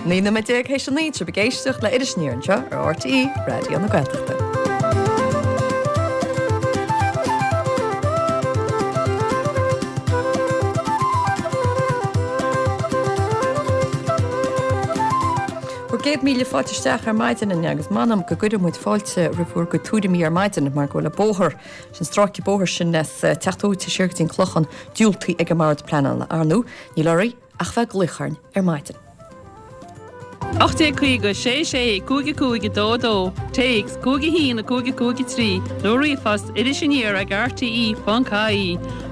19 nóiméad théis a 9, sibh ag éisteacht le Iris Aniar anseo ar RTÉ Raidió na Gaeltachta. Bhur gcéad míle fáilte isteach ar maidin inniu agus m'anam go gcuireann muid fáilte roimh bhur gcuid tuairimí ar maidin mar go bhfuil an bóthar, sin stráice bóthair sin as Teach Dóite siar go dtí an Clochán diúltaithe ag an mBord Pleanála. Ar ndú, níl oraibh ach bheith ag glaoch orainn ar maidin. 1850 6 6 5 5 2 2, Téacs, 5 1 5 5 3, nó ríomhphost, iris aniar ag rte.ie,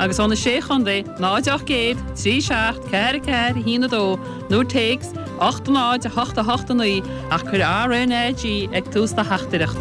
agus ó na Sé Chontae, 0 800 3 7 4 4 1 2, nó téacs, 8 0 8 8 9, ach cuir RNAG ag tús do theachtaireacht.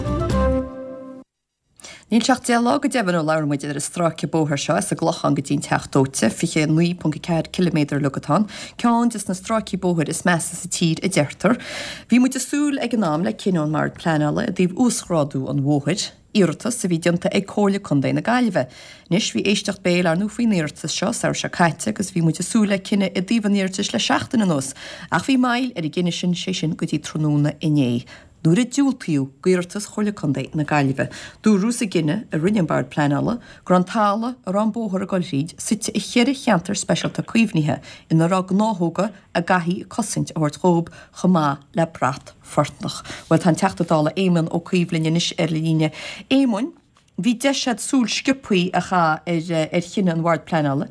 Níl sé ach 10 lá go deimhin ó labhair muid ar an stráice bóthair seo as an gClochán go dtí an Teach Dóite, 29.4 ciliméadar uilig atá ann, ceann des na stráicí bóthair is measa sa tír a deirtear. Bhí muid ag súil ag an am le cinneadh ón mBord Pleanála i dtaobh uasghrádú an bhóthair, iarratas a bhí déanta ag Comhairle Contae na Gaillimhe. Anois, bhí éisteacht béil ar ndú faoin iarratas seo samhradh seo caite agus bhí muid ag súil le cinneadh i dtaobh an iarratais le seachtain anuas, ach bhí moill ar an gcinneadh sin, sé sin go dtí tráthnóna inné. Nuair a diúltaíodh d'iarratas Chomhairle Contae na Gaillimhe, dúradh sa gcinneadh a rinne an Bord Pleanála go raibh an talamh a raibh an bóthar ag dul thríd suite i cheithre cheantar speisialta caomhnaithe ina raibh gnáthóga a gcaithfí cosaint a thabhairt dhóibh chomh maith le brat fortnach. Bhuel, tá an Teachta Dála Éamon Ó Cuív linn anois ar líne. Éamoin, bhí deis agat súil sciobthaí a chaitheamh ar chinneadh an Bhoird Pleanála.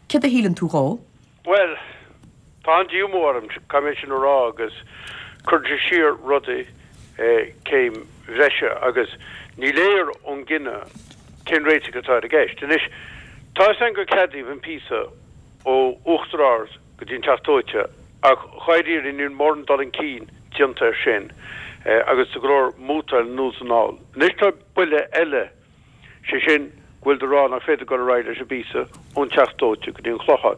Céard a shíleann tú dhó? Bhuel, tá an-díomá orm, caithfidh mé sin a rá, agus cuireann sé siar rudaí céim bhreise agus ní léir ón gcinneadh cén réiteach atá ar i gceist. Anois, tá 'fhios a'inn gur ceadaíodh an píosa ó Uachtar Ard go dtí an Teach Dóite ach dháiríre níl mórán dul chun cinn déanta air sin agus tá go leor mútáil anonn is anall. Anois tá buille eile sé sin go bhfuil siad ag rá nach féidir dul ar aghaidh leis an bpíosa ón Teach Dóite go dtí an Clochán.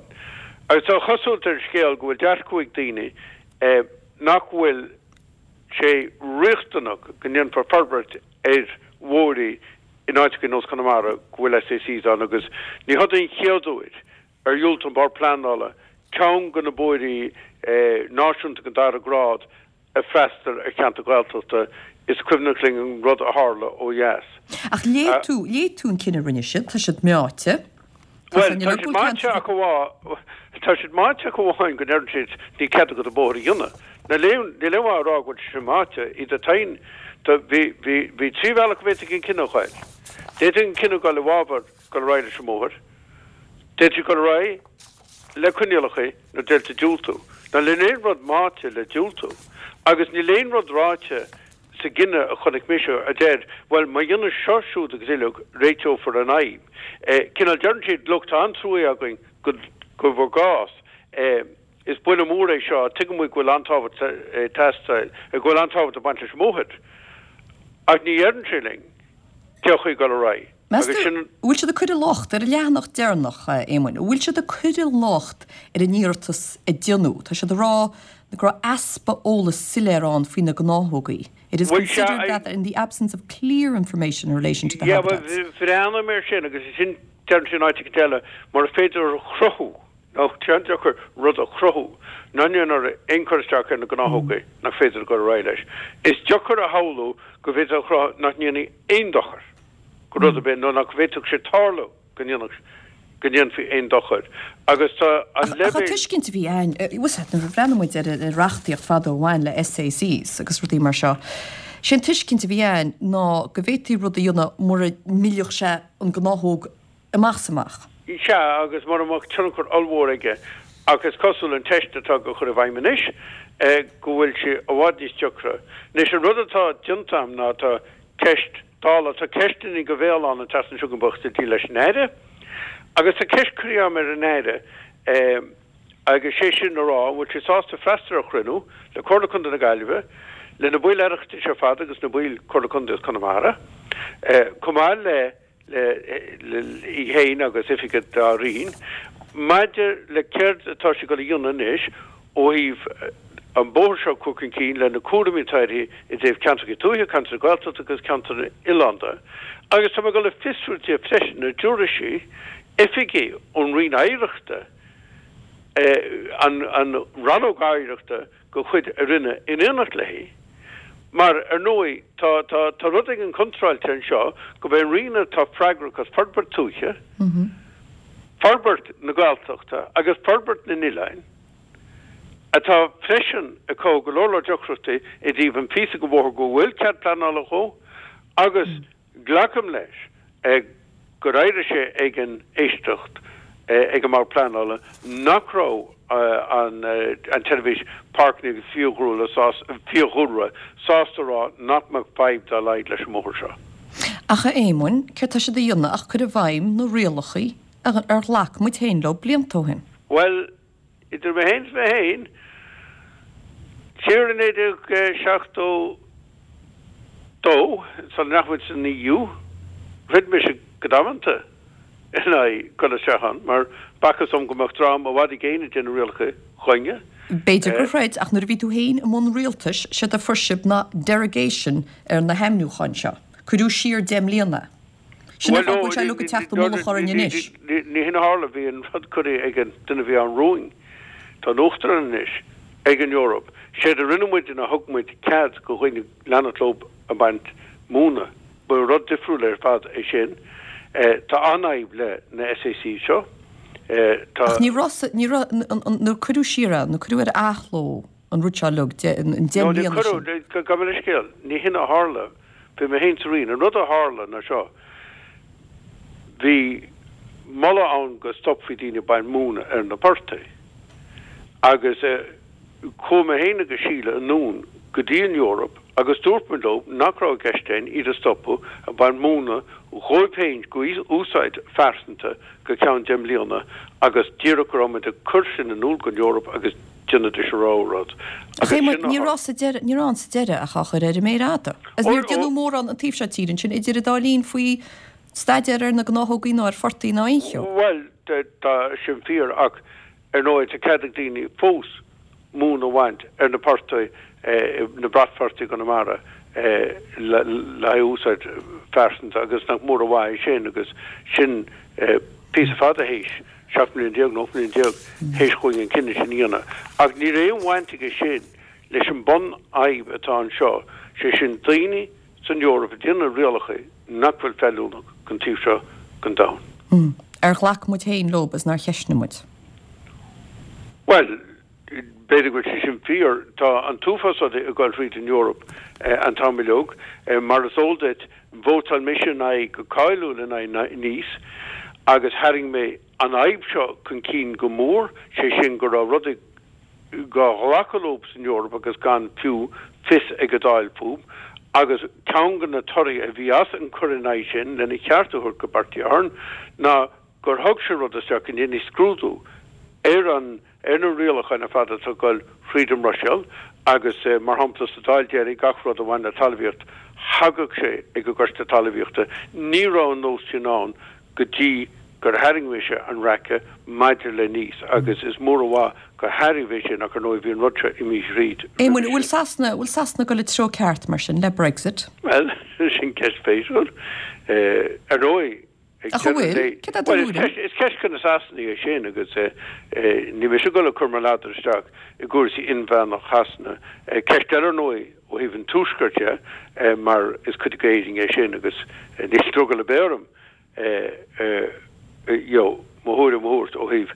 Agus tá an chosúlacht ar an scéal go bhfuil dearcadh ag daoine nach bhfuil sé riachtanach go ndéanfar forbairt ar bhóithrí in áiteacha ar nós Conamara go bhfuil SACs ann agus ní hod é an chéad uair ar dhiúltaigh an Bord Pleanála ceann de na bóithrí náisiúnta den dara grád ag freastal ar cheantar Gaeltachta, is cuimhneach linn an rud a tharla ó dheas. Ach léigh tú, léigh tú an cinneadh a rinne siad, tá siad meáite. Bhuel, tá siad meáite ach amháin, tá siad meáite ach amháin go ndeireann siad níl cead agat an bóthar a dhéanamh. Níl aon, níl aon mhaith a rá go bhfuil sé sin meáite, iad ag taighn, tá, bhí, bhí, bhí 3 bhealach a bhféadfadh an cinneadh a ghoil. D'fhéadfadh an cinneadh dul i bhfabhar dul ar aghaidh leis an mbóthar, d'fhéadfaí dul ar aghaidh le coinníollacha nó d'fhéadfaí diúltú. Now níl aon rud meáite le diúltú agus níl aon rud ráite sa gcinneadh a chonaic mise a deir, bhuel, má dhéanann seo, siúd agus uileag, réiteofar an fhadhb. Cineál deireann siad, look, tá an-trua againn go bhur gcás. Is buille mór é seo. Tuigeann muid go bhfuil an-tábhacht ag teastáil, go bhfuil an-tábhacht ag baint leis an mbóthar. Ach ní dheireann sé linn cén chaoi dul ar aghaidh. Meas tú, an bhfuil siad ag cur an locht ar an leathanach deireanach, a Éamoin, an bhfuil siad ag cur an locht ar an iarratas a déanadh? Tá siad ag rá go raibh easpa eolas soiléir ann faoi na gnáthógaí. It is considered that in the absence of clear information in relation to the habitats. Yeah, bhuel, bhreathnaigh mé air sin agus sin, deireann sé in áit éicint eile, mura féidir a chruthú Nó tá an-deacair rud a chruthú nach ndéanfar aon chur isteach ar na gnáthógaí nach féidir a dhul ar aghaidh leis. Is deacair a shamhlú go bhféadfá a chruthú nach ndéanfaí aon dochar go rud ar bith nó nach bhféadfadh sé tarlú go ndéanfadh, go ndéanfaí aon dochar. Agus tá an Ach an leibhéal. tuiscint a bhí againn, bhfuil a fhios agat, nuair a bhreathnaigh muid ar an reachtaíocht fadó a bhain le SACs agus rudaí mar seo, sé an tuiscint a bhí againn ná go bhféadfaí rud a dhéanamh mura millfeadh sé an gnáthóg amach is amach. Sea, agus mura mbeadh tionchar ollmhór aige, ach is cosúil an teist atá á chur i bhfeidhm anois, go bhfuil sé i bhfad níos deacra. Anois, an rud atá déanta agam ná tá ceist Dála, tá ceisteanna go bhéal ann an tseachtain seo chugainn buíochas le Dia leis an Aire, agus tá ceist curtha agam ar an Aire, agus sé sin a rá, an bhfuil sé sásta freastal ar chruinniú le Comhairle Contae na Gaillimhe, le na baill Oireachtais ar fad agus na baill Comhairle Contae as Conamara, chomh maith le. í féin agus oifigigh dá roinn maidir le céard atá sé ag dul a dhéanamh anois ó thaobh an bóthar seo a chur chun cinn le na cúraimí atá uirthi i dtaobh ceantracha tuaithe, ceantracha Gaeltachta agus ceantair oileánda. Agus tá mé ag dul a fiosrú di freisin an dtabharfaidh sí oifigigh ón Roinn Oidhreachta. An Rannóg Oidhreachta de chuid a Roinne in éineacht léi, mar, ar ndóigh, tá, tá, tá rud éigin contráilte anseo, gurb é an Roinn atá freagrach as forbairt tuaithe, forbairt na Gaeltachta agus forbairt na n-oileán, atá freisin ag cothú go leor leor deacrachtaí i dtaobh an phíosa de bhóthar go bhfuil cead pleanála dhó agus glacaim leis gur éirigh sé ag an éisteacht ag an mBord Pleanála nach raibh an tSeirbhís Páirceanna agus Fiadhúlra sásta a rá nach mbeadh fadhb dá laghad leis an mbóthar seo. Ach a Éamoinn, céard tá siad a dhéanamh ach cur i bhfeidhm na rialacha ar ghlac muid féin leo blianta ó shin? Bhuel, Idir mé féin is mé féin, siar i 1972, sula ndeachaigh muid san EU, throid mise go damanta in aghaidh dul isteach ann, mar b'fhacthas dom go mbeadh dream i bhfad i gcéin ag déanamh rialacha dhúinne. B'fhéidir gur throid, ach nuair a bhí tú féin i mbun rialtais, séard a fuair sibh ná derogation ar na hainmniúcháin seo. Cuireadh siar 10 mbliana é. Sin an fáth go bhfuil sé uilig ag teacht i mullach orainn anois. Ní hin a tharla, bhí an rud curtha ag an duine a bhí ann romhainn, tá an Uachtarán anois, ag an Eoraip. Séard a rinne muide ná thug muid cead go dhaoine leanacht leo ag baint móna. Ba rud difriúil ar fad é sin. Tá an-fhadhb le na SAC seo. Tá. Ach ní raibh, ní raibh, nuair cuireadh siar é, nuair cuireadh ar athló an rud seo uilig, an 10 mbliana sin. No, ní cuireadh, gabh mo leithscéal, ní hin a tharla. Bhí mé féin sa Roinn. An rud a tharla ná seo, bhí moladh ann go stopfaí daoine ag baint móna ar na portaigh agus chuaigh mé féin agus Síle anonn go dtí an Eoraip agus dúirt muid leo nach raibh i gceist againn iad a stopadh ag baint móna dhóibh féin go úsáid phearsanta go ceann 10 mbliana agus díreach go raibh muid ag cur sin in iúl don Eoraip agus déanfaidís a rogha rud. Ach a Éamoinn, ní raibh sa deireadh, ní raibh ann sa deireadh ach á chur ar an méar fhada. Agus níor déanadh mórán an taobh seo tíre ansin idir an dá linn faoi staidéar ar na gnáthógaí ná ar phortaigh ná aon cheo. Bhuel, tá sin fíor ach ar ndóigh tá cead ag daoine fós móin a bhaint ar na portaigh, na bratphortaigh i gConamara le haghaidh úsáid phearsanta agus nach mór an mhaith é sin agus sin píosa fada théis 17 mbliana nó 18 mbliana théis dhúinn an cinneadh sin a dhéanamh. Ach níl aon bhaint aige sin leis an bunfhadhb atá anseo, sé sin daoine san Eoraip ag déanamh rialacha nach bhfuil feiliúnach don taobh seo den domhan. Ar ghlac muid féin leo is nár cheistnigh muid? Bhuel, b'fhéidir go bhfuil sé sin fíor. Tá an t-uafás rudaí ag dul thríd an Eoraip an t-am uilig. Mar is eol duit, Vótáil mise in aghaidh, go cáiliúil in aghaidh Nice, agus tharraing mé an fhadhb seo chun cinn go mór, sé sin go raibh rudaí dhá ghlacadh leo san Eoraip agus gan fiú fios ag an Dáil fúthu, agus ceann de na torthaí a bhí as an cur in aghaidh sin, lena cheart a thabhairt go Bertie Ahern, ná gur thug sé rud isteach go ndéanfaí scrúdú ar an ar na rialacháin ar fad atá ag dul thríd an mBruiséil agus, mar shampla, sa Dáil deiridh, gach rud a bhain le talmhaíocht, thagadh sé ag an gCoiste Talmhaíochta. Ní raibh an nós sin ann go dtí gur tharraing mise an raice maidir le Nice agus is mór an mhaith gur tharraing mé sin ach, ar ndóigh, bhí an rud seo imithe thríd roimhe Éamoinn, bhfuil Sasana, bhfuil Sasana ag dul an treo ceart, mar sin, le Brexit? Bhuel, sin ceist spéisiúil. Ar ndóigh, Ach an bhfuil? Céard é do thuairim? Is ceist do na Sasanaigh é sin agus níl mise ag dul ag cur mo ladar isteach i gcúrsaí inmheánach Shasana. Ceist eile ar ndóigh ó thaobh an Tuaiscirt de mar is cuid d'Éirinn é sin agus níl drogall ar bith orm you know mo thuairim a thabhairt ó thaobh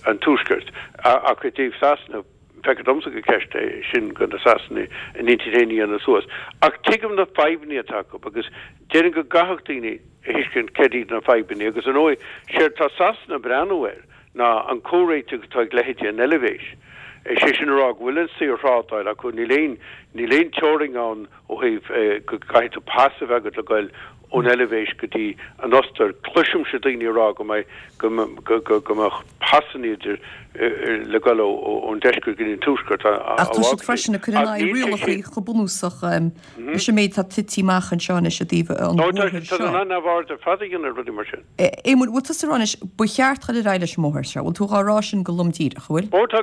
an Tuaiscirt. Ach i dtaobh Sasana, Feictear domsa gur ceist é sin do na Sasanaigh a n-intinn féin a dhéanamh suas. Ach tuigim na fadhbanna atá acu agus déarfainn go gcaithfeadh daoine a thuiscint céard iad na fadhbanna agus ar ndóigh séard tá Sasana ag breathnú air ná an comhréiteach atá ag leithéidí an Eilvéis. Sé sin a rá go bhfuil an saorthrádáil acu, níl aon níl aon teorainn ann ó thaobh go gcaithfidh tú pas a bheith agat le goil ón Eilvéis go dtí an Ostair. Cloisimse daoine ag rá go mbeidh, go, go mbeadh pasanna idir, le goil ón deisceart go dtí an tuaisceart á Ach tá siad freisin ag cur in aghaidh rialacha chomh bunúsach leis an méid atá tite amach anseo anois i dtaobh an bhóthair seo. Tá siad in ann neamhaird ar fad a dhéanamh ar rudaí mar sin. Éamoinn, bhfuil tusa ag rá anois, ba cheart dul ar aghaidh leis an mbóthar seo? Bhfuil tú dhá rá sin go lom díreach, an bhfuil? Ó tá,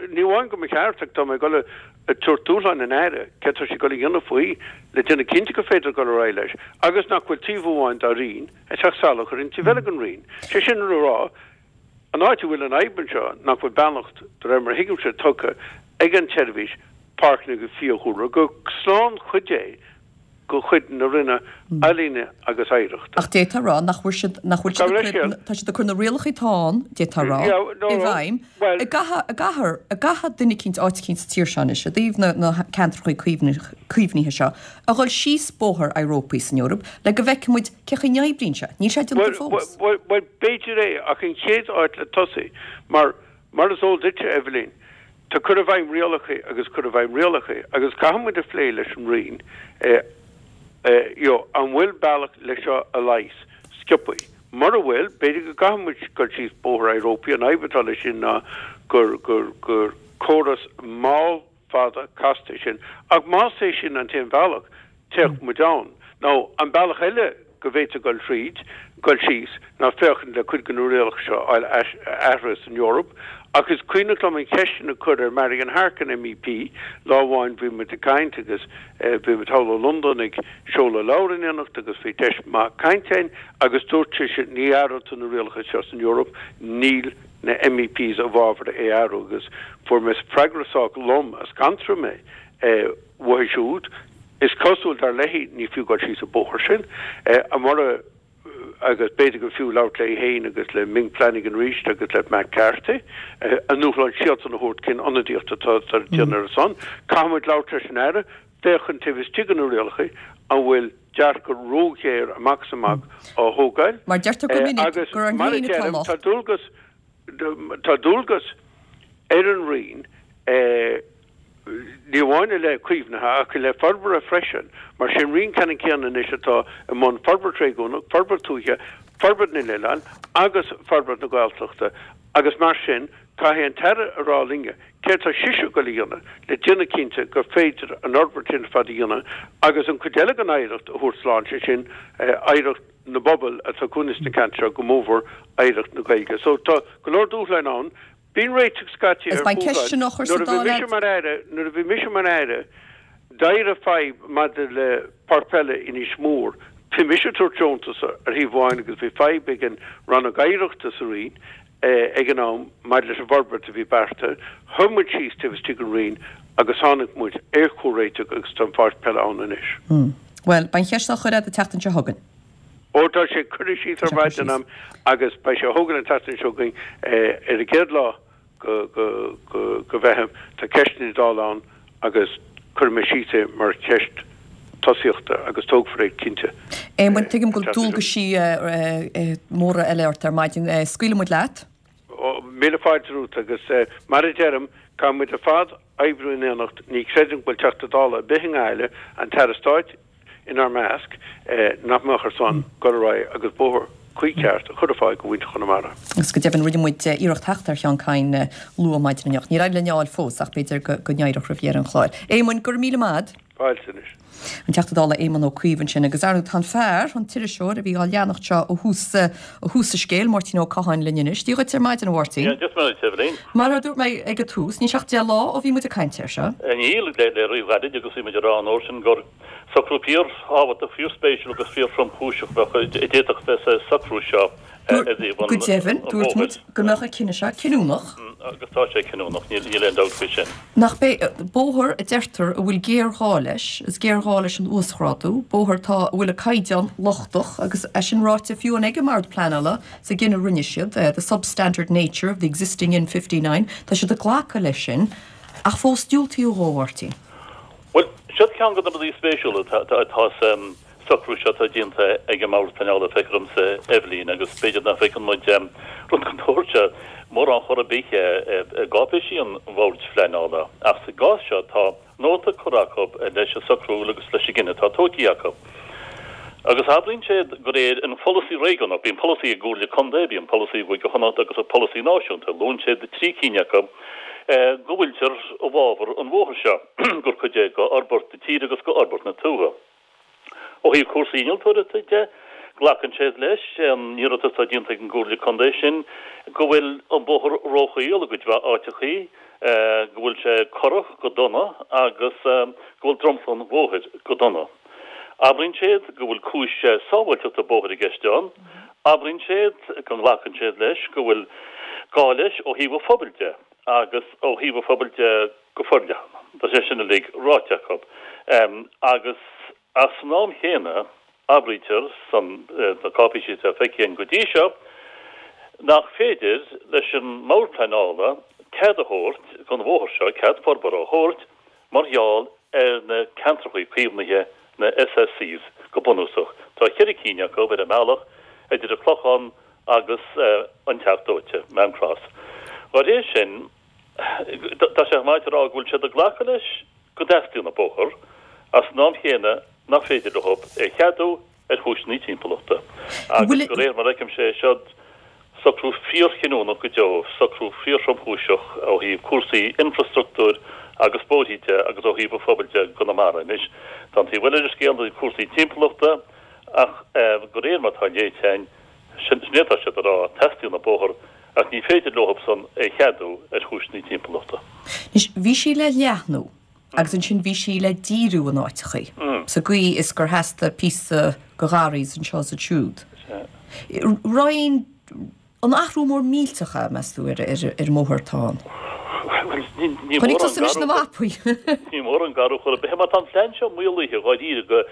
ní amháin go mba cheart ach tá mé ag dul ag tabhairt dúshlán an Aire céard tá sé ag dul a dhéanamh faoi le déanamh cinnte gur féidir dul ar aghaidh leis agus nach bhfuil taobh amháin dá roinn ag teacht salach ar an taobh eile den roinn. Sé sin le rá, An áit a bhfuil an fhadhb anseo nach bhfuil beannacht, de réir mar a thuigimse, tugtha ag an tSeirbhís Páirceanna agus Fiadhúlra, gur slánchuid é de chuid na Roinne Ealaíne agus Oidhreachta. Ach d'fhéadfá a rá nach bhfuil siad, nach bhfuil siad ag cur, tá siad ag cur na rialacha atá ann, d'fhéadfá a rá, i bhfeidhm, i gcaithfidh, i gcaithfear, i gcaithfidh duine eicínt, áit eicínt sa tír seo anois, i dtaobh na, na ceantracha caomhnaithe seo, a dhul síos bóthar Europy san Eoraip le go bhfeicfidh muid cé chaoi n-oibríonn sé. Níl sé déanta fós. Bhuel, bhuel, b'fhéidir é, ach an chéad áit le tosaí, mar, mar is eol duitse, Eibhlín, Tá cur i bhfeidhm rialacha agus cur i bhfeidhm rialacha agus caithfidh muid a phlé leis an Roinn you know an bhfuil bealach le seo a leigheas sciobthaí. Mura bhfuil, b'fhéidir go gcaithfidh muid dul síos bóthar Europy, an fhadhb atá leis sin ná gur gur gur córas mall fada casta é sin. Ach más é sin an t-aon bhealach, téadh muid ann. Nó an bealach eile go bhféadfá dul thríd, dul síos, ná féachaint le cuid de na rialacha seo a fháil athraithe san Eoraip. Ach is cuimhneach liom an cheist sin a chur ar Marian Harkin MEP lá amháin, bhí muid ag caint agus bhí muid thall i Londain ag seoladh leabhar in éineacht agus bhí deis maith cainte againn agus dúirt sise ní athróidh tú na rialacha seo san Eoraip, níl na MEPs i bhfabhar é a athrú agus fuair mé freagra sách lom a scanraigh mé uaithi siúd. Is cosúil, dar léi, ní fiú dul síos an bóthar sin. Mura, agus b'fhéidir gur fiú labhairt léi féin agus le Ming Flanagan arís agus le Matt Carthy, a ndúshlán siadsan a thabhairt cén ionadaíocht atá ag déanamh ar a son. Caithfidh muid labhairt leis an Aire, féachaint taobh istigh de na rialacha an bhfuil dearcadh róghéar amach is amach á thógáil. Mar deirtear go minic gur orainn féin atá an locht. Tá dualgas, tá dualgas ar an Roinn, ní amháin i leith caomhnaithe ach i leith forbartha freisin, mar sé an Roinn ceannann céanna anois atá i mbun forbairt réigiúnach, forbairt tuaithe, forbairt na n-oileán agus forbairt na Gaeltachta agus mar sin caithfidh an tAire a rá linne céard tá sise ag dul a dhéanamh le déanamh cinnte gur féidir an fhorbairt sin ar fad a dhéanamh agus an chuid eile den oidhreacht a thabhairt slán, sé sin oidhreacht na bpobal atá cónaithe sna ceantair seo, go mórmhór oidhreacht na Gaeilge. So tá go leor dúshláin ann. Bíonn réiteach scaití ar dhúshláin. Nuair a bhí mise mar Aire, nuair a bhí mise mar Aire, d'éirigh fadhb maidir le páirc peile Inis Mór. Bhí mise ag tabhairt deontas ar thaobh amháin agus bhí fadhb ag an Rannóg Oidhreachta sa Roinn ag an am maidir leis an bhforbairt a bhí beartaithe. Shuigh muid síos taobh istigh den Roinn agus tháinig muid ar chomhréiteach agus tá an pháirc peile ann anois. Bhuel, beidh an cheist á chur agat an tseachtain seo chugainn. Ó tá sé curtha síos ar maidin a'm agus beidh sé á thógáil an tseachtain seo chugainn ar an gcéad lá go Mheitheamh. Tá ceisteanna Dála ann agus cuirfidh mé síos é mar cheist tosaíochta agus tógfar é cinnte. Éamoinn, tuigim go bhfuil dualgaisí móra eile ort ar maidin. Scaoilfidh muid leat. Míle fáilte romhat agus mar a deirim, caithfidh muid ar fad oibriú in éineacht. Ní chreidim go bhfuil Teachta Dála ar bith i nGaillimh, an tAire Stáit, inár measc, nach mbeadh ar son dul ar aghaidh agus bóthar cuí ceart a chur ar fáil do mhuintir Chonamara. Agus go deimhin rinne muid iarracht theacht ar Sheán Kyne luath maidin inniu. Níor éirigh linn é a fháil fós ach b'fhéidir go n-éireodh roimh dheireadh an chláir. Éamoinn, go raibh míle maith agat. Fáilte anois. An Teachta Dála Éamon Ó Cuív ansin agus ar ndóigh tá an fear, an t-iriseoir a bhí á leanacht seo ó thús ó thús an scéil, Máirtín Ó Catháin linn anois. Dia dhuit ar maidin, a Mháirtín. Dia duit, a Eibhlín. Mar a dúirt mé ag an tús, níl sé ach 10 lá ó bhí muid ag caint air seo. Níl, le ríghairid agus bhí muid ag rá an uair sin gur socrú fíorthábhachtach, fíorspéisiúil agus fíorthromchúiseach a bheadh, a d'fhéadfadh bheith sa socrú seo i dtaobh an Go deimhin, dúirt muid go mbeadh an cinneadh seo cinniúnach. Agus tá sé cinniúnach, níl aon dabht faoi sin. Nach b'é bóthar a deirtear a bhfuil géarghá leis, is géarghá leis an uasghrádú, bóthar atá, a bhfuil a caighdeán lochtach agus é sin ráite fiú amháin ag an mBord Pleanála sa gcinneadh a rinne siad, the substandard nature of the existing N59, tá siad ag glacadh leis sin ach fós diúltaíodh dhó, a Mháirtín. Bhuel, seo ceann de na rudaí spéisiúla atá sa socrú seo atá déanta ag an mBord Pleanála, feictear domsa, Eibhlín, agus b'fhéidir nach bhfeiceann muid rud den tsórt seo mórán chor ar bith i gcáipéisí an Bhoird Phleanála, ach sa gcás seo tá nóta curtha acu leis an socrú agus leis an gcinneadh atá tógtha acu. Agus abraíonn siad de réir an pholasaí réigiúnach, bíonn polasaí ag gComhairle Contae, bíonn polasaí i gCúige Chonnacht agus an polasaí náisiúnta, luann siad 3 cinn acu, go bhfuiltear i bhfabhar an bhóthair seo, gur cuid é de fhorbairt na tíre agus de fhorbairt na tuaithe. Ó thaobh cúrsaí innealtóireachta de, glacann siad leis an iarratas atá déanta ag an gComhairle Contae sin go bhfuil an bóthar róchaol i gcuid mhaith áiteachaí, go bhfuil sé corrach go dona agus go bhfuil dromchla an bhóthair go dona. Abraíonn siad go bhfuil cúis sábháilteachta bóthair i gceist ann. Abraíonn siad go nglacann siad leis go bhfuil. Gá leis ó thaobh an phobail de agus ó thaobh an phobail de go forleathan. Tá sé sin uilig ráite acu. Agus ach san am chéanna, abraítear san na cáipéisí atá feicthe againn go dtí seo nach féidir leis an mBord Pleanála cead a thabhairt don bhóthar seo, cead forbartha a thabhairt mar gheall ar na ceantracha caomhnaithe, na SACs, go bunúsach. Tá cheithre cinn acu ar an mbealach idir an Clochán agus an Teach Dóite, Maam Cross. Dá réir sin, tá sé chomh maith a rá go bhfuil siad ag glacadh leis go dteastaíonn an bóthar, ach san am chéanna nach féidir leo é a cheadú ar chúiseanna timpeallachta. Agus de réir mar a fheicimse é, seod socrú fíorchinniúnach go deo, socrú fíorthromchúiseach ó thaobh cúrsaí infrastruchtúir agus bóithrí de agus ó thaobh an phobail de i gConamara. Anois, tá an taobh eile den scéal, cúrsaí timpeallachta, ach de réir mar atá léite againn, Sin é atá siad a rá, teastaíonn an bóthar ach ní féidir leothubsan é cheadú ar chúiseanna timpeallachta. Anois, bhí sí le leathnú agus ansin bhí sí le díriú in áiteachaí, sa gcaoi is gur theastaigh píosa go gharraí anseo is ansiúd. Roinn, an athrú mór millteach é, meas tú, ar an mbóthar atá ann? Chonaic tusa anois na mapaí. Ní mór an garú chor ar bith é mar tá an plean seo maolaithe dháiríre go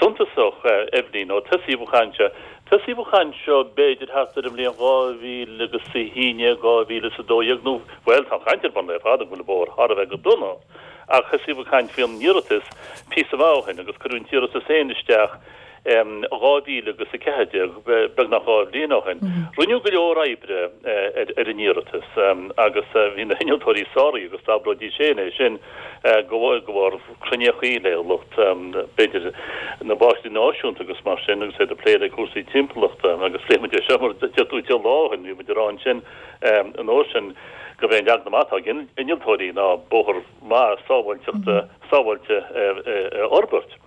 suntasach, Eibhlín, ó tosaíodh an chaint seo. Tosaíodh an chaint seo b'fhéidir thart ar an mbliain 2011, 2012 nó, bhuel, tá an chaint ar bun le fada go bhfuil an bóthar thar a bheith go dona, ach thosaíodh an chaint faoin iarratas píosa maith ó shin agus cuireadh an t-iarratas féin isteach in 2014, beagnach 2 bhliain ó shin. Rinneadh go leor oibre ar an iarratas agus bhí na hinnealtóirí sáraithe agus d'abróidís féin é sin go bharr cruinníochaí le lucht, b'fhéidir, na bpáirceanna náisiúnta agus mar sin agus iad ag plé le cúrsaí timpeallachta agus phléigh muid é seo mar a deir tú deich lá ó shin, bhí muid ag rá ansin an uair sin gurb é an leagan amach atá ag innealtóirí ná bóthar maith sábháilteachta, sábháilte a fhorbairt.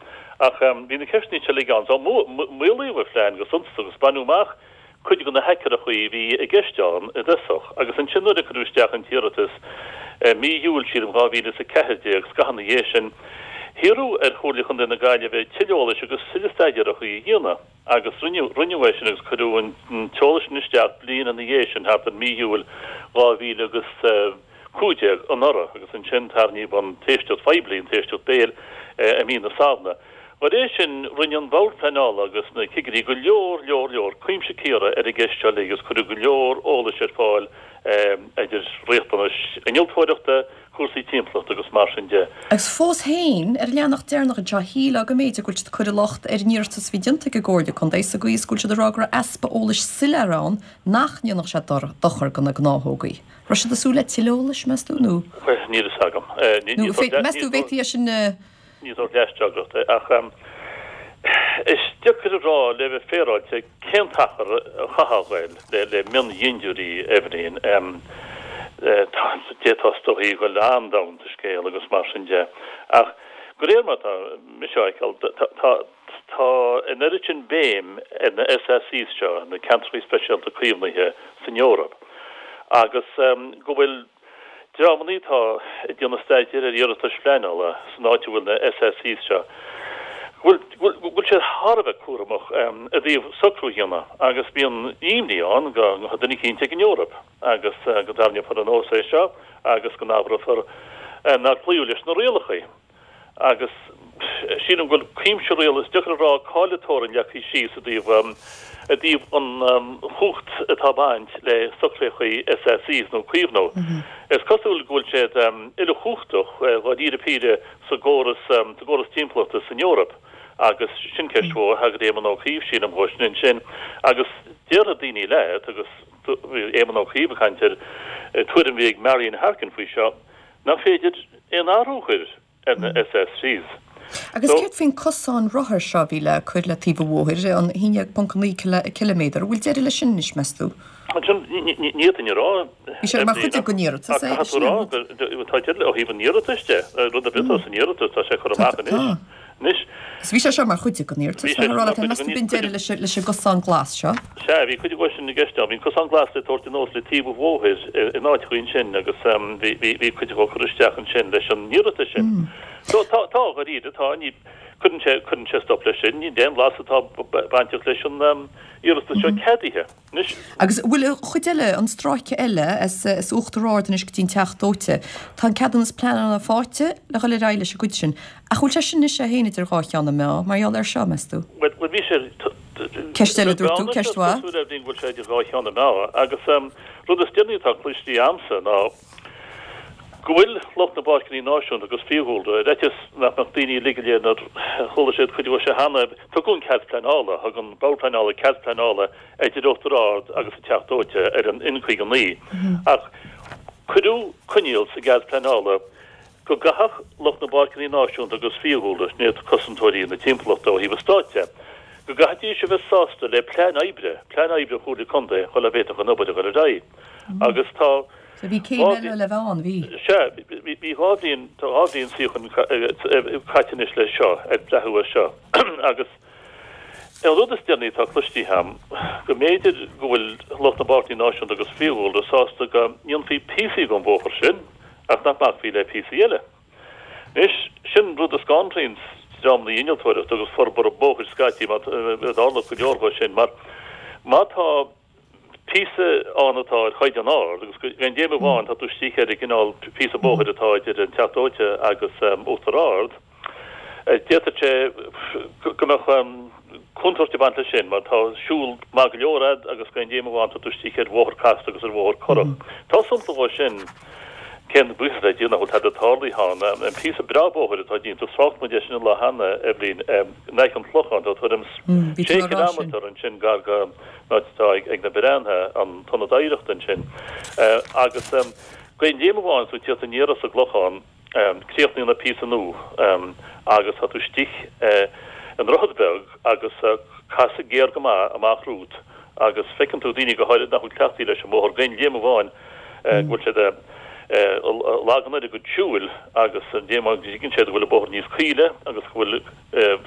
Ach bhí na ceisteanna seo uilig ann. So maolaíodh an phlean go suntasach agus baineadh amach cuid de na haicearrachaí a bhí i gceist ann i dtosach, agus ansin nuair a cuireadh isteach an t-iarratas i mí Iúil, sílim, 2014, scaitheamh ina dhiaidh sin, hiarradh ar Chomhairle Chontae na Gaillimhe tuilleadh eolais agus tuilleadh staidéarachaí a dhéanamh, agus rinneadh, rinneadh é sin agus cuireadh an t-eolas sin isteach bliain ina dhiaidh sin, thart ar mí Iúil 2015 anuraidh, agus ansin tarraingíodh an t-éisteacht phoiblí, an t-éisteacht béil, i mí na Samhna. Dá réir sin, rinne an Bord Pleanála agus na cigirí go leor, leor, leor cuimse cíoradh ar an gceist seo uilig agus cuireadh go leor eolais ar fáil idir riachtanais innealtóireachta, cúrsaí timpeallachta agus mar sin de. Agus fós féin, ar an leathanach deireanach anseo, shílfeá go mb'fhéidir go bhfuil siad ag cur an locht ar an iarratas a bhí déanta ag an gComhairle Contae sa gcaoi is go bhfuil siad ag rá go raibh easpa eolais soiléir ann nach ndéanfadh sé dochar do na gnáthógaí. Raibh siad ag súil le tuilleadh eolais, meas tú, nó? Níl fhios agam. Nó meas tú, bhféadfaí é sin a. Ní sórt leasfhreagracht é, ach is deacair a rá le bheith féaráilte cén t-achar a chaithfeá a ghoil le miondhintiúirí, Eibhlín. D'fhéadfá is dóichí a ghoil an-domhain sa scéal agus mar sin de. Ach de réir mar atá mise á fheiceáil, tá tá an oiread sin béim ar na SACs seo, na Ceantracha Speisialta Caomhnaithe san Eoraip, agus go bhfuil Dreamannaí atá ag déanamh staidéir ar iarratais phleanála san áit a bhfuil na SACs seo, go bhfuil go bhfuil siad thar a bheith cúramach i dtaobh socrú a dhéanamh agus bíonn imní ann go ngabhfaidh duine eicínt ag an Eoraip agus go dtarraingeofar anuas é seo agus go n-abrófar nár cloíodh leis na rialacha. Agus sílim go bhfuil cuimse riail, is deacair a rá cá'il an teorainn leagtha síos i dtaobh i dtaobh an chumhacht atá ag baint le socraíochaí SACs nó caomhnú. Is cosúil go bhfuil siad uilechumhachtach dháiríre píre sa gcóras sa gcóras timpeallachta san Eoraip agus sin ceist mhór, thagair Éamon Ó Cuív sílim dhó sin ansin agus déarfaidh daoine leat agus bhí Éamon Ó Cuív ag caint ar tuairim a bhí ag Marian Harkin faoi seo, Nach féidir aon athrú a chur ar na SACs. Agus céard faoin cosán rothar seo a bhí le cur le taobh an bhóthair, an 11.9 ciliméadar, an bhfuil deireadh leis sin anois, meas tú? Ansin, ní fhéadfainn a rá. Bhí sé mar chuid den iarratas é. Caithfidh tú a rá, tá deireadh ó thaobh an iarratais de, rud ar bith atá san iarratas, tá sé curtha amach anois. Anois. Is bhí sé seo mar chuid den iarratas, bhí sé mar chuid den B'in deireadh leis leis an gcosán glas seo. Sea, bhí cuid de sin i gceist ann. Bhí an cosán glas le tabhairt anuas le taobh an bhóthair in áiteachaí ansin agus bhí bhí bhí cuid dhó curtha isteach ansin leis an iarratas sin. So tá, tá, dháiríre, tá, ní, cuireann sé, cuireann sé stop leis sin, níl aon bhlas atá bainteach leis an iarratas seo ceadaithe. Anois. Agus an bhfuil an chuid eile, an stráice eile, as Uachtar Ard anois go dtí an Teach Dóite, tá an ceadúnas pleanála faighte le dhul ar aghaidh leis an gcuid sin. Ach bhfuil sé sin anois é féin idir dhá cheann na meá mar gheall air seo, meas tú? Bhuel, bhuel bhí sé, Ceist eile, dúirt tú, ceist mhaith. Cosúil le go bhfuil sé idir dhá cheann na meá. Agus rud is deireanaí atá cloiste a'msa ná go bhfuil lucht na bPáirceanna Náisiúnta agus Fiadhúlra, ar fhaitíos nach mbeadh daoine uilig go léir nuair a chuala siad cuid dhó seo cheana, tugadh an cead pleanála, thug an Bord Pleanála cead pleanála idir Uachtar Ard agus an Teach Dóite ar an N59. Ach cuireadh coinníoll sa gcead pleanála go gcaithfeadh lucht na bPáirceanna Náisiúnta agus Fiadhúlra, sin iad cosantóirí na timpeallachta ó thaobh an stáit de, go gcaithfidís a bheith sásta le plean oibre, plean oibre Chomhairle Contae shula bhféadfadh an obair a dhul ar aghaidh. Agus tá So bhí céim eile le bheith ann, bhí? Sea, bhí dhá bhliain, tá dhá bhliain suíocháin caite anois leis seo, ag breathú air seo. Agus. An rud is deireanaí atá cloiste a'm, go mb'fhéidir go bhfuil lucht na bPáirceanna Náisiúnta agus Fiadhúlra sásta go ndéanfaí píosaí den bhóthar sin ach nach mbacfaí le píosaí eile. Anois, sin rud a scanraíonn dreamanna innealtóireachta agus forbartha bóthair scaití, mar tharla go leor dhó sin, mar má tá píosa ann atá ar chaighdeán ard agus d'aon dhéanamh amháin tá tú istigh ar an gcineál píosa bóthair atá idir an Teach Dóite agus Uachtar Ard. D'fhéadfadh sé go mbeadh contúirt ag baint leis sin mar tá siúl maith go leor a'd agus d'aon dhéanamh amháin tá tú istigh ar bhóthar casta agus ar bhóthar corrach. Tá sampla dhó sin, cén buíochas le Dia nach bhfuil tada tarlaithe ann, an píosa breá bóthair atá déanta, thrácht muid air sin an lá cheana, Eibhlín, in aice an Chlocháin, tá tuairim 6 chileámetar ansin gar go an áit atá ag na Breántha, an t-ionad oidhreachta ansin. Agus d'aon léim amháin is tú ag tíocht aniar as an gClochán, críochnaíonn an píosa nua agus tá tú istigh i ndroichead beag agus casadh géar go maith amach romhat agus feiceann tú daoine, go háirid nach bhfuil cleachtaithe leis an mbóthar, d'aon léim amháin go bhfuil siad ag lagan ar a gcuid siúil agus an dé mar go dtuigeann siad go bhfuil an bóthar níos caoile agus go bhfuil